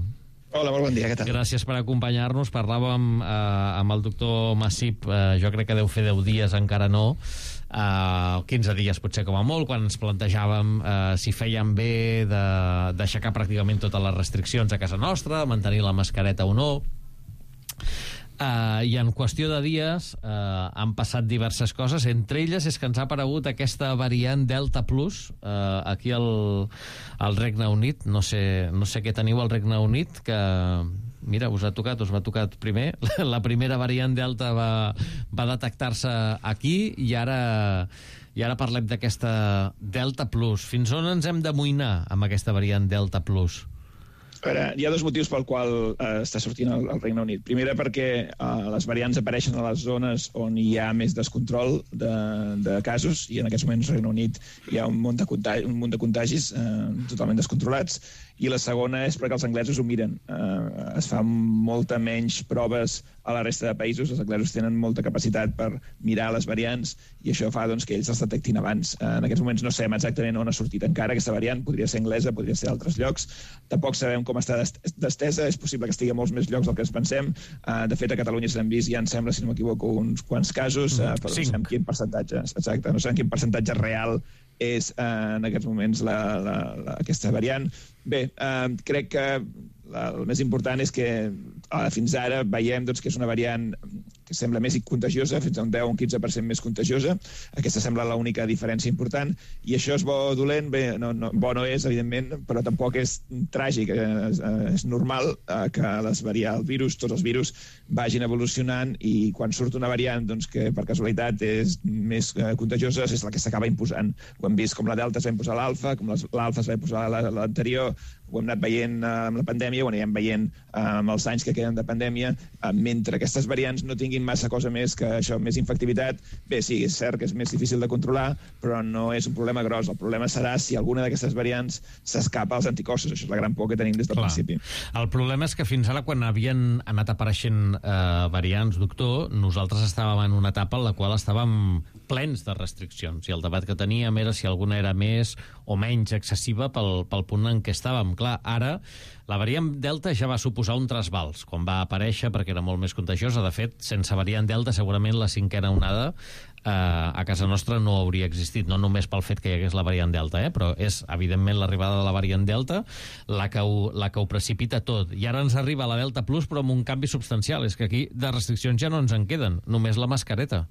Speaker 10: Hola, molt bon dia, què tal?
Speaker 2: Gràcies per acompanyar-nos. Parlàvem eh, amb el doctor Massip, eh, jo crec que deu fer deu dies, encara no, eh, quinze dies potser com a molt, quan ens plantejàvem eh, si feien bé d'aixecar pràcticament totes les restriccions a casa nostra, mantenir la mascareta o no. Uh, i en qüestió de dies uh, han passat diverses coses, entre elles és que ens ha aparegut aquesta variant Delta Plus uh, aquí al, al Regne Unit. No sé, no sé què teniu al Regne Unit, que mira, us ha tocat, us va tocar primer. La primera variant Delta va, va detectar-se aquí, i ara i ara parlem d'aquesta Delta Plus. Fins on ens hem d'amoïnar amb aquesta variant Delta Plus?
Speaker 10: A veure, hi ha dos motius pel qual eh, està sortint el, el Regne Unit. Primera, perquè eh, les variants apareixen a les zones on hi ha més descontrol de, de casos, i en aquests moments al Regne Unit hi ha un munt de, contagi, un munt de contagis eh, totalment descontrolats. I la segona és perquè els anglesos ho miren. Eh, es fan molta menys proves a la resta de països. Els anglesos tenen molta capacitat per mirar les variants, i això fa doncs, que ells els detectin abans. Eh, en aquests moments no sabem exactament on ha sortit encara aquesta variant. Podria ser anglesa, podria ser d'altres llocs. Tampoc sabem com està d'estesa. És possible que estigui a molts més llocs del que ens pensem. Uh, de fet, a Catalunya s'han vist, ja em sembla, si no m'equivoco, uns quants casos, uh, però no sabem quin percentatge, exacte, no sabem quin percentatge real és uh, en aquests moments la, la, la, aquesta variant. Bé, uh, crec que la, el més important és que uh, fins ara veiem doncs, que és una variant que sembla més contagiosa, fins a un deu o un quinze per cent més contagiosa. Aquesta sembla l'única diferència important, i això és bo o dolent? Bé, no, no, bo no és, evidentment, però tampoc és tràgic. És, és normal que les variants, el virus, tots els virus, vagin evolucionant, i quan surt una variant doncs, que per casualitat és més contagiosa, és la que s'acaba imposant. Ho hem vist com la Delta es va imposar l'Alfa, com l'Alfa es va imposar l'anterior, ho hem anat veient amb la pandèmia, ho anirem veient amb els anys que queden de pandèmia. Mentre aquestes variants no tinguin massa cosa més que això, més infectivitat, bé, sí, és cert que és més difícil de controlar, però no és un problema gros. El problema serà si alguna d'aquestes variants s'escapa als anticossos. Això és la gran por que tenim des del
Speaker 2: Clar.
Speaker 10: principi.
Speaker 2: El problema és que fins ara, quan havien anat apareixent eh, variants, doctor, nosaltres estàvem en una etapa en la qual estàvem plens de restriccions, i el debat que teníem era si alguna era més o menys excessiva pel, pel punt en què estàvem. Clar, ara la variant Delta ja va suposar un trasbals quan va aparèixer, perquè era molt més contagiosa. De fet, sense variant Delta segurament la cinquena onada eh, a casa nostra no hauria existit, no només pel fet que hi hagués la variant Delta, eh, però és evidentment l'arribada de la variant Delta la que, ho, la que ho precipita tot. I ara ens arriba la Delta Plus, però amb un canvi substancial. És que aquí de restriccions ja no ens en queden, només la mascareta.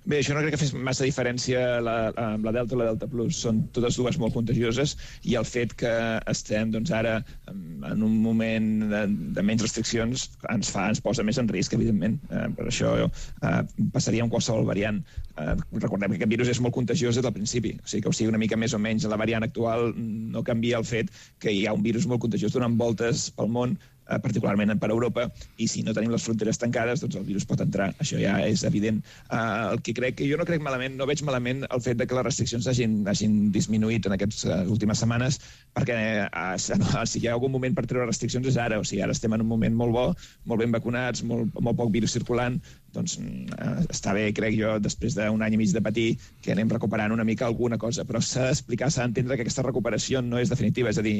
Speaker 10: Bé, això no crec que fes massa diferència la, amb la Delta o la Delta Plus. Són totes dues molt contagioses, i el fet que estem doncs, ara en un moment de, de menys restriccions ens fa, ens posa més en risc, evidentment. Eh, per això eh, passaria amb qualsevol variant. Eh, recordem que aquest virus és molt contagiós des del principi, o sigui que o sigui una mica més o menys la variant actual no canvia el fet que hi ha un virus molt contagiós donant voltes pel món, particularment per Europa, i si no tenim les fronteres tancades, doncs el virus pot entrar. Això ja és evident. Uh, el que crec que jo no crec malament, no veig malament el fet de que les restriccions hagin, hagin disminuït en aquestes uh, últimes setmanes, perquè uh, si hi ha algun moment per treure restriccions és ara. O sigui, ara estem en un moment molt bo, molt ben vacunats, molt, molt poc virus circulant, doncs uh, està bé, crec jo, després d'un any i mig de patir, que anem recuperant una mica alguna cosa, però s'ha d'explicar, s'ha d'entendre que aquesta recuperació no és definitiva, és a dir,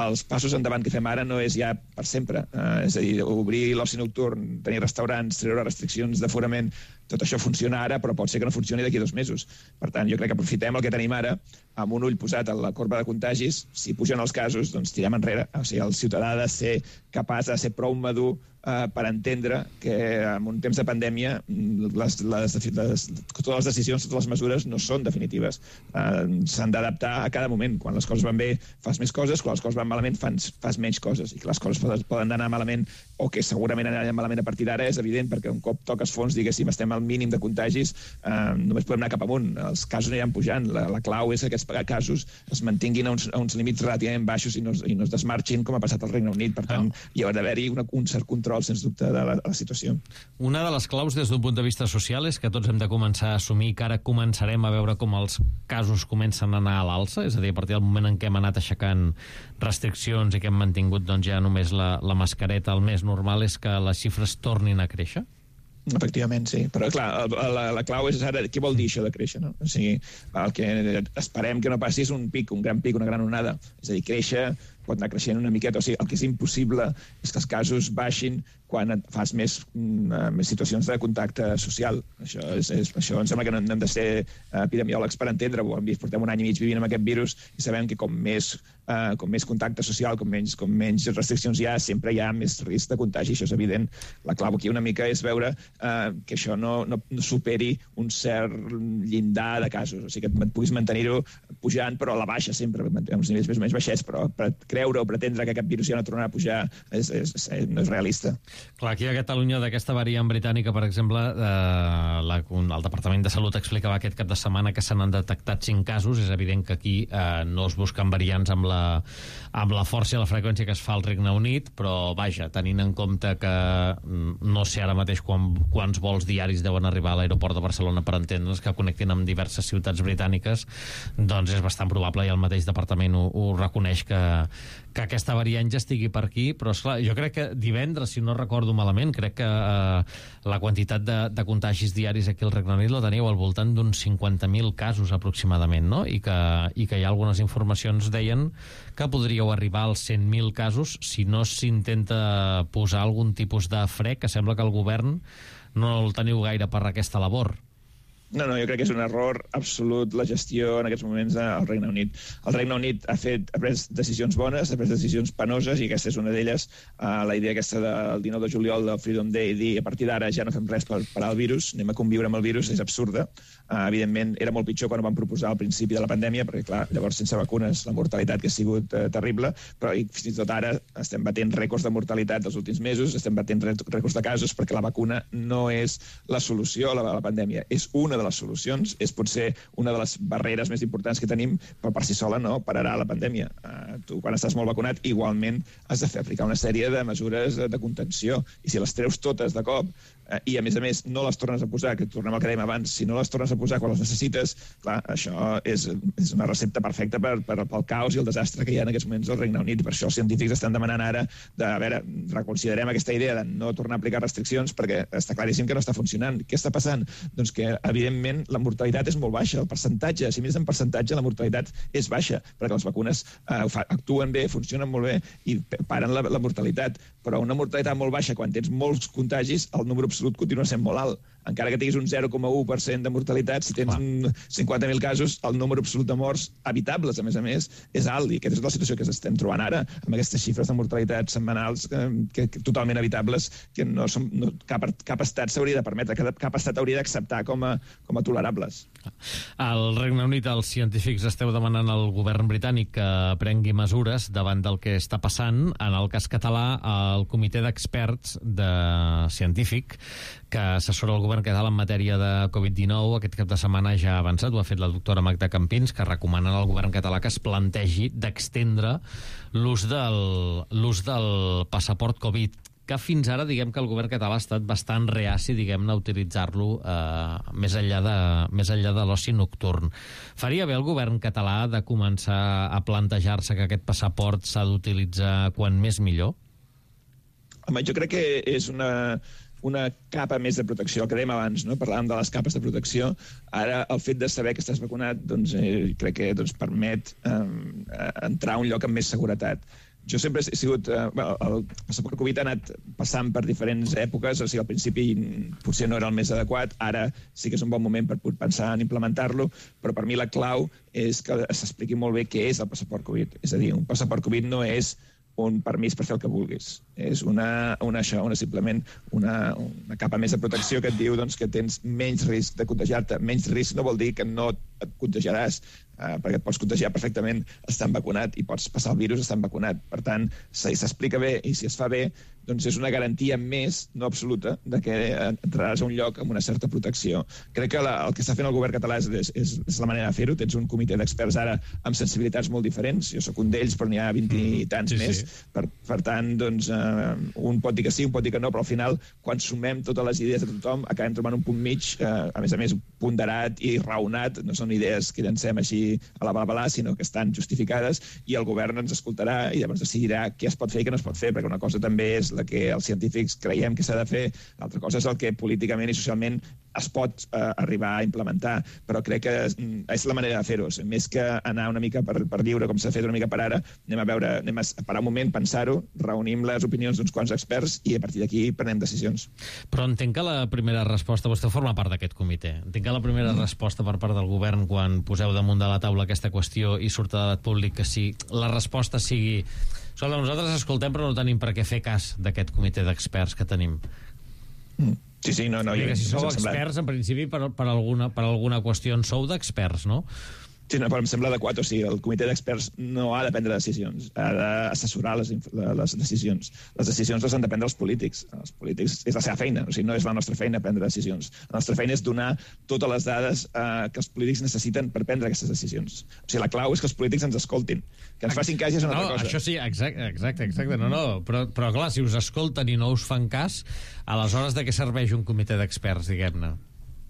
Speaker 10: els passos endavant que fem ara no és ja per sempre. Uh, és a dir, obrir l'oci nocturn, tenir restaurants, treure restriccions d'aforament, tot això funciona ara, però pot ser que no funcioni d'aquí dos mesos. Per tant, jo crec que aprofitem el que tenim ara, amb un ull posat a la corba de contagis. Si pugen els casos, doncs tirem enrere. O sigui, el ciutadà ha de ser capaç de ser prou madur eh, per entendre que en un temps de pandèmia les, les, les, totes les decisions, totes les mesures no són definitives. Eh, S'han d'adaptar a cada moment. Quan les coses van bé, fas més coses, quan les coses van malament, fas, fas menys coses. I que les coses poden, poden anar malament, o que segurament aniran malament a partir d'ara, és evident, perquè un cop toques fons, diguéssim, estem al mínim de contagis, eh, només podem anar cap amunt. Els casos aniran pujant. La, la clau és que aquests casos es mantinguin a uns, a uns límits relativament baixos i no, i no es desmarxin, com ha passat al Regne Unit. Per tant, oh. hi ha d'haver-hi un cert control, sens dubte, de la, de la situació.
Speaker 2: Una de les claus des d'un punt de vista social és que tots hem de començar a assumir que ara començarem a veure com els casos comencen a anar a l'alça, és a dir, a partir del moment en què hem anat aixecant restriccions i que hem mantingut doncs, ja només la, la mascareta, el més normal és que les xifres tornin a créixer?
Speaker 10: Efectivament, sí. Però, clar, la, la clau és ara què vol dir això de créixer, no? O sigui, el que esperem que no passi és un pic, un gran pic, una gran onada. És a dir, créixer pot anar creixent una miqueta. O sigui, el que és impossible és que els casos baixin quan fas més, més situacions de contacte social. Això, és, és, això em sembla que no hem de ser epidemiòlegs per entendre-ho. Hem vist, portem un any i mig vivint amb aquest virus i sabem que com més, uh, com més contacte social, com menys, com menys restriccions hi ha, sempre hi ha més risc de contagi. Això és evident. La clau aquí una mica és veure uh, que això no, no, no superi un cert llindar de casos. O sigui, que et puguis mantenir-ho pujant, però a la baixa sempre, uns nivells més o menys baixets, però per creure o pretendre que aquest virus ja no tornarà a pujar és, és, és, no és realista.
Speaker 2: Clar, aquí a Catalunya d'aquesta variant britànica, per exemple, eh, la, el Departament de Salut explicava aquest cap de setmana que se n'han detectat cinc casos. És evident que aquí eh, no es busquen variants amb la, amb la força i la freqüència que es fa al Regne Unit, però vaja, tenint en compte que no sé ara mateix quan, quants vols diaris deuen arribar a l'aeroport de Barcelona per entendre's, que connectin amb diverses ciutats britàniques, doncs és bastant probable, i el mateix departament ho, ho reconeix, que, que aquesta variant ja estigui per aquí. Però esclar, jo crec que divendres, si no recordo malament, crec que eh, la quantitat de, de contagis diaris aquí al Regne Unit la teníeu al voltant d'uns cinquanta mil casos aproximadament, no? I que, i que hi ha algunes informacions deien que podríeu arribar als cent mil casos si no s'intenta posar algun tipus de fre, que sembla que el govern no el teniu gaire per aquesta labor.
Speaker 10: No, no, jo crec que és un error absolut la gestió en aquests moments al Regne Unit. El Regne Unit ha fet ha pres decisions bones, ha pres decisions penoses, i aquesta és una d'elles. Uh, la idea aquesta del dinou de juliol del Freedom Day, dir a partir d'ara ja no fem res per parar el virus, anem a conviure amb el virus, és absurda. Uh, evidentment, era molt pitjor quan ho van proposar al principi de la pandèmia, perquè, clar, llavors sense vacunes la mortalitat que ha sigut uh, terrible, però i fins i tot ara estem batent rècords de mortalitat dels últims mesos, estem batent rècords de casos, perquè la vacuna no és la solució a la, a la pandèmia, és una de les solucions, és potser una de les barreres més importants que tenim, però per si sola no pararà la pandèmia. Uh, tu, quan estàs molt vacunat, igualment has de fer aplicar una sèrie de mesures de contenció, i si les treus totes de cop, uh, i a més a més no les tornes a posar, que tornem al que dèiem abans, si no les tornes a posar quan les necessites, clar, això és, és una recepta perfecta per, per, pel caos i el desastre que hi ha en aquests moments al Regne Unit. Per això els científics estan demanant ara de, a veure, reconsiderem aquesta idea de no tornar a aplicar restriccions, perquè està claríssim que no està funcionant. Què està passant? Doncs que, evidentment, la mortalitat és molt baixa, el percentatge, si mires en percentatge, la mortalitat és baixa, perquè les vacunes eh, actuen bé, funcionen molt bé i paren la, la mortalitat, però una mortalitat molt baixa, quan tens molts contagis, el número absolut continua sent molt alt. Encara que tinguis un zero coma u per cent de mortalitat, si tens cinquanta mil casos, el número absolut de morts evitables, a més a més, és alt, i aquesta és la situació que estem trobant ara, amb aquestes xifres de mortalitat setmanals que, que, que totalment evitables, que no som, no, cap, cap estat s'hauria de permetre, cap, cap estat hauria d'acceptar com a, com a tolerables.
Speaker 2: Al Regne Unit, els científics esteu demanant al govern britànic que prengui mesures davant del que està passant. En el cas català, el comitè d'experts de científic que assessora el govern català en matèria de covid dinou aquest cap de setmana ja ha avançat, ho ha fet la doctora Magda Campins, que recomanen al govern català que es plantegi d'extendre l'ús del, l'ús del passaport Covid, que fins ara, diguem que el govern català ha estat bastant reaci, diguem-ne, a utilitzar-lo eh, més enllà de, més enllà de l'oci nocturn. Faria bé el govern català de començar a plantejar-se que aquest passaport s'ha d'utilitzar quan més millor?
Speaker 10: Home, jo crec que és una, una capa més de protecció, el que dèiem abans, no? Parlàvem de les capes de protecció. Ara, el fet de saber que estàs vacunat, doncs, eh, crec que doncs, permet eh, entrar a un lloc amb més seguretat. Jo sempre he sigut... Eh, el passaport Covid ha anat passant per diferents èpoques, o sigui, al principi potser no era el més adequat, ara sí que és un bon moment per pensar en implementar-lo, però per mi la clau és que s'expliqui molt bé què és el passaport Covid. És a dir, un passaport Covid no és un permís per fer el que vulguis. És una, una, això, una simplement una, una capa més de protecció que et diu doncs, que tens menys risc de contagiar-te. Menys risc no vol dir que no et contagiaràs, eh, perquè et pots contagiar perfectament estant vacunat i pots passar el virus estant vacunat. Per tant, si s'explica bé i si es fa bé, doncs és una garantia més, no absoluta, de que entraràs a un lloc amb una certa protecció. Crec que la, el que està fent el govern català és, és, és la manera de fer-ho. Tens un comitè d'experts ara amb sensibilitats molt diferents. Jo sóc un d'ells, però n'hi ha vint i tants sí, més. Sí. Per, per tant, doncs, eh, un pot dir que sí, un pot dir que no, però al final, quan sumem totes les idees de tothom, acabem trobant un punt mig, eh, a més a més, ponderat i raonat. No són idees que llancem així a la bala, sinó que estan justificades, i el govern ens escoltarà i llavors decidirà què es pot fer i què no es pot fer, perquè una cosa també és la que els científics creiem que s'ha de fer, l'altra cosa és el que políticament i socialment es pot eh, arribar a implementar, però crec que és la manera de fer-ho. Més que anar una mica per, per lliure, com s'ha fet una mica per ara, anem a veure, anem a parar un moment, pensar-ho, reunim les opinions d'uns quants experts i a partir d'aquí prenem decisions.
Speaker 2: Però entenc que la primera resposta, vostè forma part d'aquest comitè, entenc que la primera mm. resposta per part del govern quan poseu damunt de la taula aquesta qüestió i surt a debat públic que sí, la resposta sigui: escolta, nosaltres escoltem però no tenim per què fer cas d'aquest comitè d'experts que tenim.
Speaker 10: Mm. Sí, sí, no, no.
Speaker 2: Jo, si sou experts, en principi, per, per, alguna, per alguna qüestió en sou d'experts, no?
Speaker 10: Sí, no, però em sembla adequat. O sigui, el comitè d'experts no ha de prendre decisions, ha d'assessorar les, les decisions. Les decisions les han de prendre els polítics. Els polítics és la seva feina, o sigui, no és la nostra feina prendre decisions. La nostra feina és donar totes les dades eh, que els polítics necessiten per prendre aquestes decisions. O sigui, la clau és que els polítics ens escoltin. Que ens facin cas és una
Speaker 2: no,
Speaker 10: altra cosa.
Speaker 2: Això sí, exacte, exacte, exacte. No, no, però, però clar, si us escolten i no us fan cas, aleshores de què serveix un comitè d'experts, diguem-ne?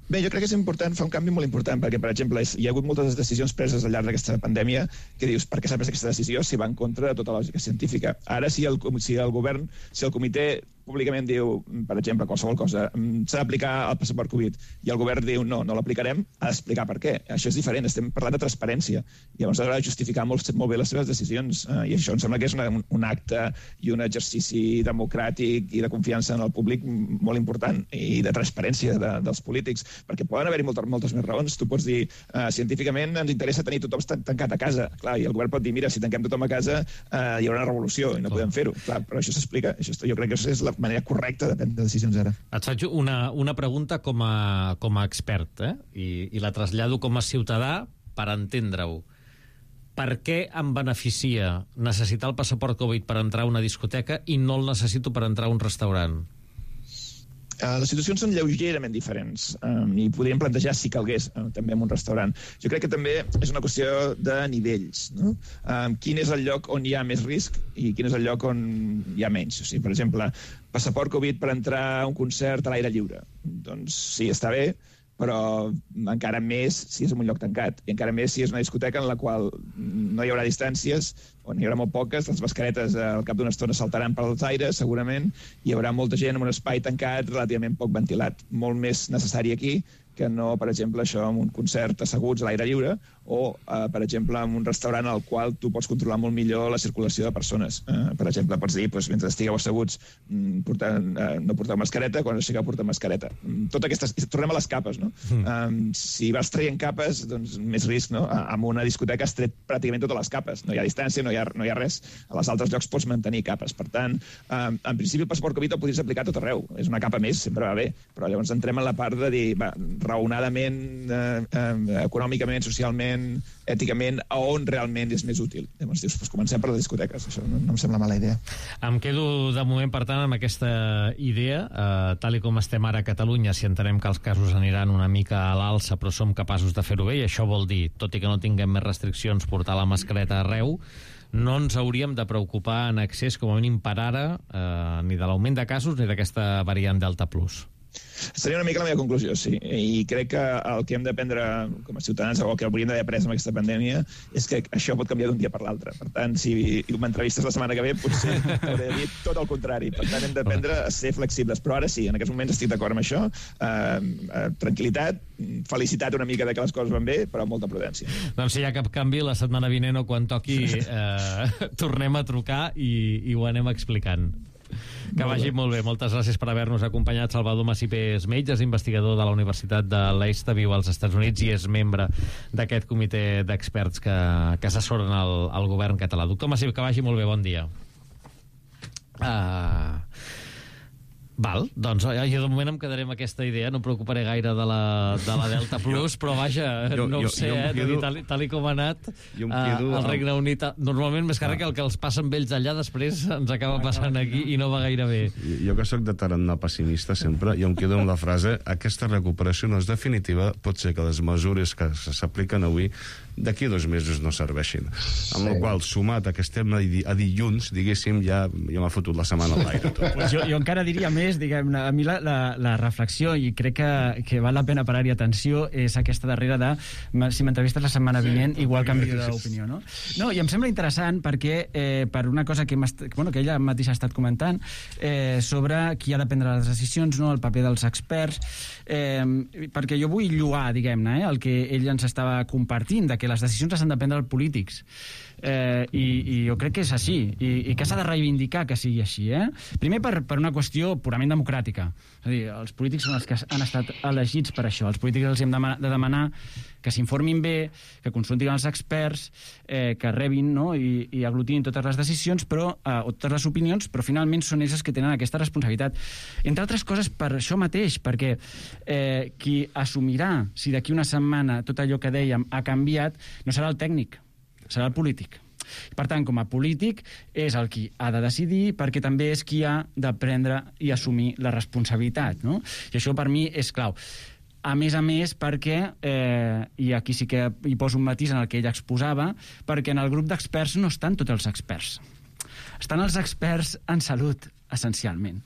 Speaker 10: Bé, jo crec que és important, fa un canvi molt important, perquè, per exemple, hi ha hagut moltes decisions preses al llarg d'aquesta pandèmia que dius, per què s'ha pres aquesta decisió si va en contra de tota la lògica científica? Ara, si el, si el govern, si el comitè públicament diu, per exemple, qualsevol cosa, s'ha d'aplicar el passaport Covid, i el govern diu, no, no l'aplicarem, ha d'explicar per què. Això és diferent, estem parlant de transparència. I llavors ha de justificar molt, molt bé les seves decisions. Uh, I això em sembla que és una, un acte i un exercici democràtic i de confiança en el públic molt important, i de transparència de, dels polítics, perquè poden haver-hi moltes, moltes més raons. Tu pots dir, uh, científicament ens interessa tenir tothom tancat a casa. Clar, i el govern pot dir, mira, si tanquem tothom a casa uh, hi haurà una revolució i no podem fer-ho. Clar, però això s'explica. Això, jo crec que això és la manera correcta de prendre decisions ara.
Speaker 2: Et faig una, una pregunta com a, com a expert, eh? I, i la trasllado com a ciutadà per entendre-ho. Per què em beneficia necessitar el passaport Covid per entrar a una discoteca i no el necessito per entrar a un restaurant?
Speaker 10: Uh, les situacions són lleugerament diferents um, i podríem plantejar si calgués uh, també en un restaurant. Jo crec que també és una qüestió de nivells, no? Um, quin és el lloc on hi ha més risc i quin és el lloc on hi ha menys. O sigui, per exemple, passaport Covid per entrar a un concert a l'aire lliure. Doncs sí, està bé, però encara més si és en un lloc tancat, i encara més si és una discoteca en la qual no hi haurà distàncies, o n'hi haurà molt poques, les mascaretes al cap d'una estona saltaran pels aires, segurament, i hi haurà molta gent en un espai tancat relativament poc ventilat. Molt més necessari aquí que no, per exemple, això en un concert asseguts a l'aire lliure, o, eh, per exemple, en un restaurant al qual tu pots controlar molt millor la circulació de persones. Eh, per exemple, pots dir, doncs, mentre estigueu asseguts, portar, eh, no porteu mascareta, quan aixequeu portar mascareta. Tot aquestes... Tornem a les capes, no? Mm. Um, si vas traient capes, doncs més risc, no? En una discoteca has tret pràcticament totes les capes. No hi ha distància, no hi ha, no hi ha res. A les altres llocs pots mantenir capes. Per tant, um, en principi el passaport Covid el podries aplicar a tot arreu. És una capa més, sempre va bé. Però llavors entrem en la part de dir, va, raonadament, eh, eh, econòmicament, socialment, èticament, a on realment és més útil. Llavors dius, doncs comencem per les discoteques. Això no, no em sembla mala idea.
Speaker 2: Em quedo de moment, per tant, amb aquesta idea. Eh, tal i com estem ara a Catalunya, si entenem que els casos aniran una mica a l'alça, però som capaços de fer-ho bé, i això vol dir, tot i que no tinguem més restriccions, portar la mascareta arreu, no ens hauríem de preocupar en excés, com a mínim per ara, eh, ni de l'augment de casos ni d'aquesta variant Delta Plus.
Speaker 10: Seria una mica la meva conclusió, sí. I crec que el que hem d'aprendre com a ciutadans, o que hauríem d'haver après amb aquesta pandèmia, és que això pot canviar d'un dia per l'altre. Per tant, si m'entrevistes la setmana que ve, potser hauré de dir tot el contrari. Per tant, hem d'aprendre a ser flexibles. Però ara sí, en aquests moments estic d'acord amb això. Uh, uh, tranquil·litat, felicitat una mica de que les coses van bé, però amb molta prudència.
Speaker 2: Doncs si hi ha cap canvi, la setmana vinent o quan toqui, eh, tornem a trucar i, i ho anem explicant. Que molt vagi bé. Molt bé. Moltes gràcies per haver-nos acompanyat. Salvador Masipés Metges, investigador de la Universitat de Leicester, viu als Estats Units i és membre d'aquest comitè d'experts que, que assessoren el, el govern català. Doctor Masip, que vagi molt bé. Bon dia. Uh... Val, doncs jo de moment em quedaré amb aquesta idea, no em preocuparé gaire de la, de la Delta Plus, però vaja, jo, no ho sé, jo, jo eh, tal, tal i com ha anat al Regne Unit, normalment més càrrec el que els passa amb ells allà, després ens acaba passant aquí i no va gaire bé.
Speaker 9: Jo que sóc de tarannà pessimista sempre, jo em quedo amb la frase, aquesta recuperació no és definitiva, pot ser que les mesures que s'apliquen avui d'aquí dos mesos no serveixin. Amb sí. el qual, sumat a que estem a, di a dilluns, diguéssim, ja, ja m'ha fotut la setmana a l'aire.
Speaker 8: Pues jo, jo encara diria més, diguem, a mi la, la, la reflexió, i crec que, que val la pena parar-hi atenció, és aquesta darrera de, si m'entrevistes la setmana sí, vinent, igual canvio d'opinió, no? No, i em sembla interessant perquè, eh, per una cosa que, bueno, que ella mateixa ha estat comentant, eh, sobre qui ha de prendre les decisions, no? El paper dels experts, eh, perquè jo vull lloar, diguem-ne, eh, el que ell ens estava compartint, de que les decisions les han de prendre els polítics. Eh, i, i jo crec que és així, i, i que s'ha de reivindicar que sigui així, eh? Primer per, per una qüestió purament democràtica, és a dir, els polítics són els que han estat elegits per això, els polítics els hem de, de demanar que s'informin bé, que consultin els experts, eh, que rebin, no? I, i aglutinin totes les decisions, però, eh, o totes les opinions, però finalment són ells que tenen aquesta responsabilitat. Entre altres coses per això mateix, perquè eh, qui assumirà si d'aquí una setmana tot allò que dèiem ha canviat no serà el tècnic, serà el polític. Per tant, com a polític, és el qui ha de decidir, perquè també és qui ha de prendre i assumir la responsabilitat, no? I això per mi és clau. A més a més, perquè, eh, i aquí sí que hi poso un matís en el que ell exposava, perquè en el grup d'experts no estan tots els experts. Estan els experts en salut, essencialment.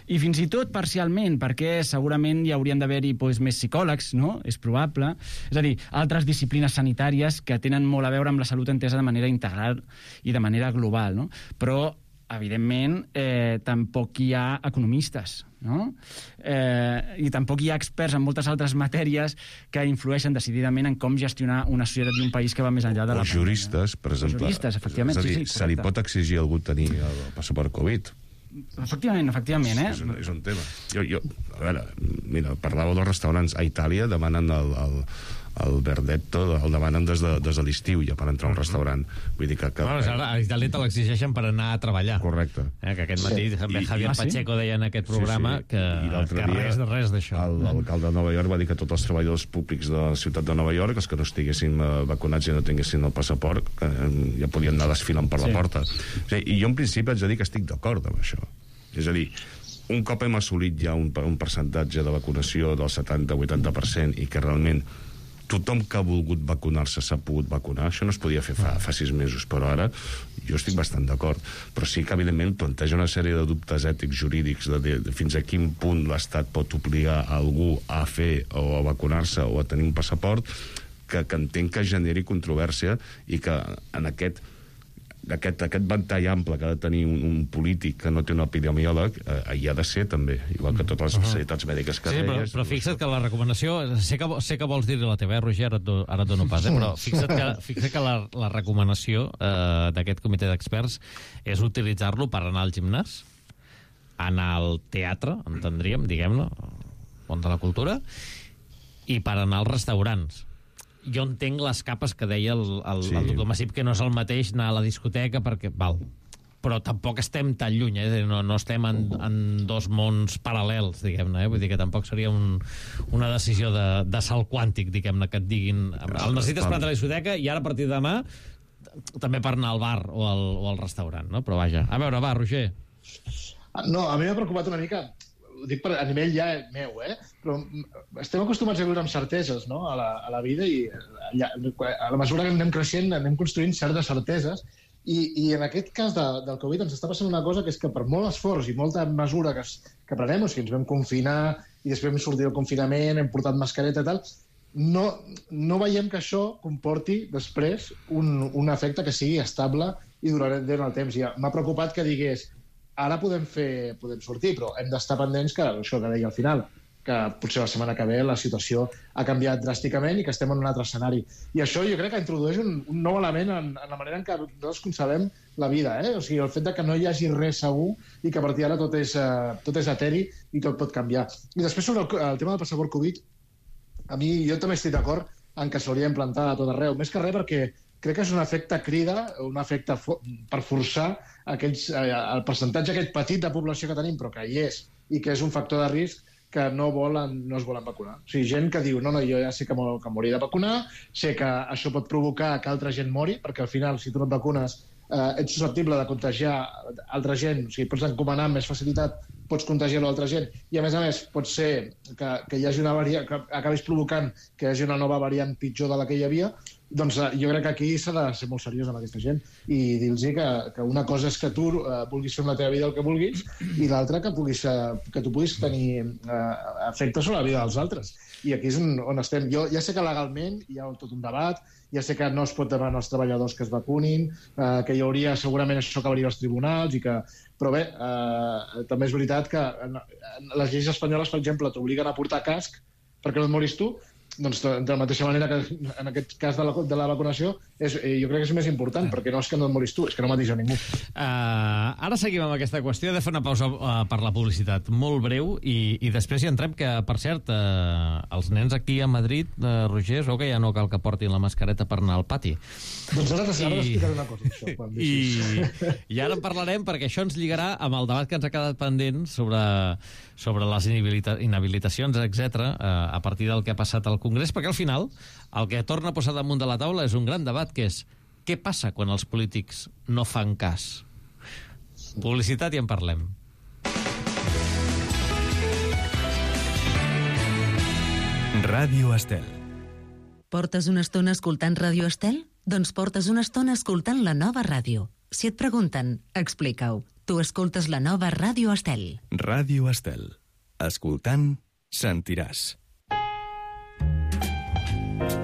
Speaker 8: I fins i tot parcialment, perquè segurament hi haurien d'haver-hi doncs, més psicòlegs, no? És probable. És a dir, altres disciplines sanitàries que tenen molt a veure amb la salut entesa de manera integral i de manera global, no? Però evidentment, eh, tampoc hi ha economistes, no? Eh, I tampoc hi ha experts en moltes altres matèries que influeixen decididament en com gestionar una societat i un país que va més enllà de la...
Speaker 9: O juristes, per exemple.
Speaker 8: O juristes, efectivament.
Speaker 9: És a dir,
Speaker 8: sí, sí,
Speaker 9: se li pot exigir a algú tenir el passaport Covid?
Speaker 8: Efectivament, efectivament, eh?
Speaker 9: És un, és un tema. Jo, jo, a veure, mira, parlàveu dels restaurants. A Itàlia demanen el, el, el verdetto, el demanen des de, des de l'estiu ja per entrar a un restaurant. Vull dir que... que
Speaker 2: bueno, ara, a Itàlia te l'exigeixen per anar a treballar.
Speaker 9: Correcte.
Speaker 2: Eh, que aquest matí sí. també Javier
Speaker 9: I,
Speaker 2: Pacheco deia en aquest programa sí, sí. que, que
Speaker 9: dia,
Speaker 2: res de res d'això.
Speaker 9: L'alcalde de Nova York va dir que tots els treballadors públics de la ciutat de Nova York, els que no estiguessin vacunats i no tinguessin el passaport, que ja podien anar desfilant per la sí. porta. O sigui, I jo en principi haig de dir que estic d'acord amb això. És a dir, un cop hem assolit ja un, un percentatge de vacunació del setanta a vuitanta per cent i que realment tothom que ha volgut vacunar-se s'ha pogut vacunar, això no es podia fer fa, fa sis mesos, però ara jo estic bastant d'acord. Però sí que, evidentment, planteja una sèrie de dubtes ètics, jurídics, de, de, de fins a quin punt l'Estat pot obligar a algú a fer o a vacunar-se o a tenir un passaport, que, que entenc que generi controvèrsia i que en aquest Aquest, aquest ventall ample que ha de tenir un, un polític que no té un epidemiòleg eh, hi ha de ser també, igual que totes les especialitats mèdiques que
Speaker 2: sí,
Speaker 9: deies.
Speaker 2: Però, però fixa't que la recomanació, sé que, sé que vols dir-li la teva, eh, Roger, ara et, do, ara et dono pas, eh, però fixa't que, fixa't que la, la recomanació eh, d'aquest comitè d'experts és utilitzar-lo per anar al gimnàs, anar al teatre, entendríem, diguem-ne, món de la cultura, i per anar als restaurants. Jo entenc les capes que deia el, el, sí. el doctor Massip, que no és el mateix anar a la discoteca, perquè, val, però tampoc estem tan lluny, eh? no, no estem en, en dos mons paral·lels, diguem-ne, eh? Vull dir que tampoc seria un, una decisió de, de salt quàntic, diguem-ne, que et diguin el necessites per anar a la discoteca i ara a partir de demà també per anar al bar o al, o al restaurant, no? Però vaja, a veure, va, Roger.
Speaker 7: No, a mi m'ha preocupat una mica, ho dic per, a nivell ja meu, eh? Però estem acostumats a viure amb certeses, no?, a la, a la vida, i ja, a la mesura que anem creixent anem construint certes certeses, i, i en aquest cas de, del Covid ens està passant una cosa, que és que per molt esforç i molta mesura que, es, que prenem, o sigui, ens vam confinar i després vam sortir del confinament, hem portat mascareta i tal, no, no veiem que això comporti després un, un efecte que sigui estable i durarà en el temps. Ja m'ha preocupat que digués ara podem fer, podem sortir, però hem d'estar pendents que, això que deia al final, que potser la setmana que ve la situació ha canviat dràsticament i que estem en un altre escenari. I això jo crec que introdueix un, un nou element en, en la manera en què nosaltres concebem la vida, eh? O sigui, el fet de que no hi hagi res segur i que a partir d'ara tot és, uh, tot és eteri i tot pot canviar. I després sobre el, el tema del passaport Covid, a mi jo també estic d'acord en que s'hauria d'implantar a tot arreu, més que res perquè crec que és un efecte crida, un efecte fo per forçar aquells, eh, el percentatge aquest petit de població que tenim, però que hi és, i que és un factor de risc que no, volen, no es volen vacunar. O sigui, gent que diu, no, no, jo ja sé que m'hauria de vacunar, sé que això pot provocar que altra gent mori, perquè al final, si tu no et vacunes, eh, ets susceptible de contagiar altra gent, o sigui, pots encomanar amb més facilitat, pots contagiar l'altra gent, i a més a més pot ser que, que hi hagi una variant, que acabis provocant que hi hagi una nova variant pitjor de la que hi havia. Doncs eh, jo crec que aquí s'ha de ser molt seriós amb aquesta gent i dir-los que, que una cosa és que tu eh, vulguis fer amb la teva vida el que vulguis i l'altra que, puguis, eh, que tu puguis tenir eh, efectes sobre la vida dels altres. I aquí és on, on estem. Jo ja sé que legalment hi ha tot un debat, ja sé que no es pot demanar als treballadors que es vacunin, eh, que hi hauria, segurament això acabaria als tribunals, i que... però bé, eh, també és veritat que en, en les lleis espanyoles, per exemple, t'obliguen a portar casc perquè no et moris tu. Doncs de la mateixa manera que en aquest cas de la, de la vacunació és, eh, jo crec que és més important, perquè no és que no et moris tu, és que no mateix a ningú.
Speaker 2: Uh, ara seguim amb aquesta qüestió, de fer una pausa uh, per la publicitat molt breu i, i després hi entrem, que per cert uh, els nens aquí a Madrid, uh, Roger, es veu que ja no cal que portin la mascareta per anar al pati.
Speaker 7: Doncs ara t'explicaré una cosa, això. Quan
Speaker 2: I, I ara en parlarem, perquè això ens lligarà amb el debat que ens ha quedat pendent sobre, sobre les inhabilita inhabilitacions, etcètera, uh, a partir del que ha passat al Congrés, perquè al final el que torna a posar damunt de la taula és un gran debat, que és què passa quan els polítics no fan cas. Publicitat i en parlem.
Speaker 3: Ràdio Estel.
Speaker 4: Portes una estona escoltant Ràdio Estel? Doncs portes una estona escoltant la nova ràdio. Si et pregunten, explica-ho. Tu escoltes la nova Ràdio Estel.
Speaker 3: Ràdio Estel. Escoltant, sentiràs.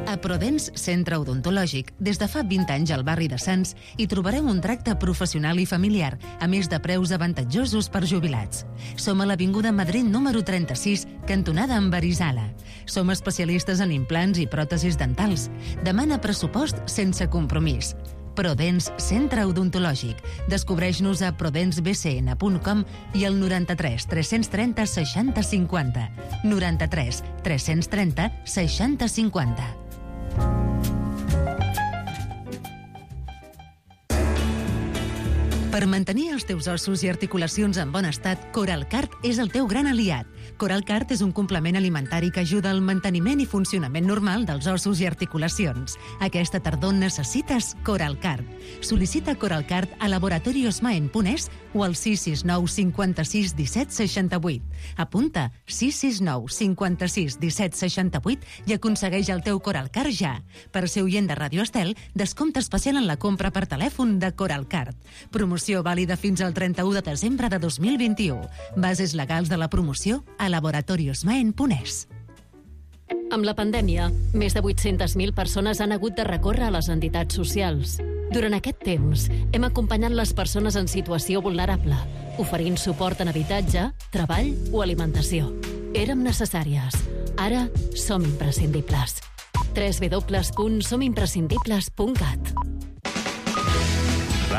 Speaker 4: A Prodens Centre Odontològic, des de fa vint anys al barri de Sants, hi trobareu un tracte professional i familiar, a més de preus avantatjosos per jubilats. Som a l'Avinguda Madrid número trenta-sis, cantonada amb Arizala. Som especialistes en implants i pròtesis dentals. Demana pressupost sense compromís. Prodens Centre Odontològic. Descobreix-nos a prodens b c n punt com i al noranta-tres tres-cents trenta seixanta cinquanta. noranta-tres tres-cents trenta seixanta cinquanta. Per mantenir els teus ossos i articulacions en bon estat, Coralcart és el teu gran aliat. Coralcart és un complement alimentari que ajuda al manteniment i funcionament normal dels ossos i articulacions. Aquesta tardor necessites Coralcart. Sol·licita Coralcart a laboratoriosmaen punt es o al sis sis nou cinquanta-sis disset seixanta-vuit. Apunta sis sis nou cinquanta-sis disset seixanta-vuit i aconsegueix el teu Coralcart ja. Per ser oient de Ràdio Estel, descompte especial en la compra per telèfon de Coralcart. Promoció vàlida fins al trenta-u de desembre de dos mil vint-i-u. Bases legals de la promoció a laboratoriosmaen punt es.
Speaker 11: Amb la pandèmia, més de vuit-centes mil persones han hagut de recórrer a les entitats socials. Durant aquest temps, hem acompanyat les persones en situació vulnerable, oferint suport en habitatge, treball o alimentació. Érem necessàries. Ara som imprescindibles. w w w punt som imprescindibles punt cat.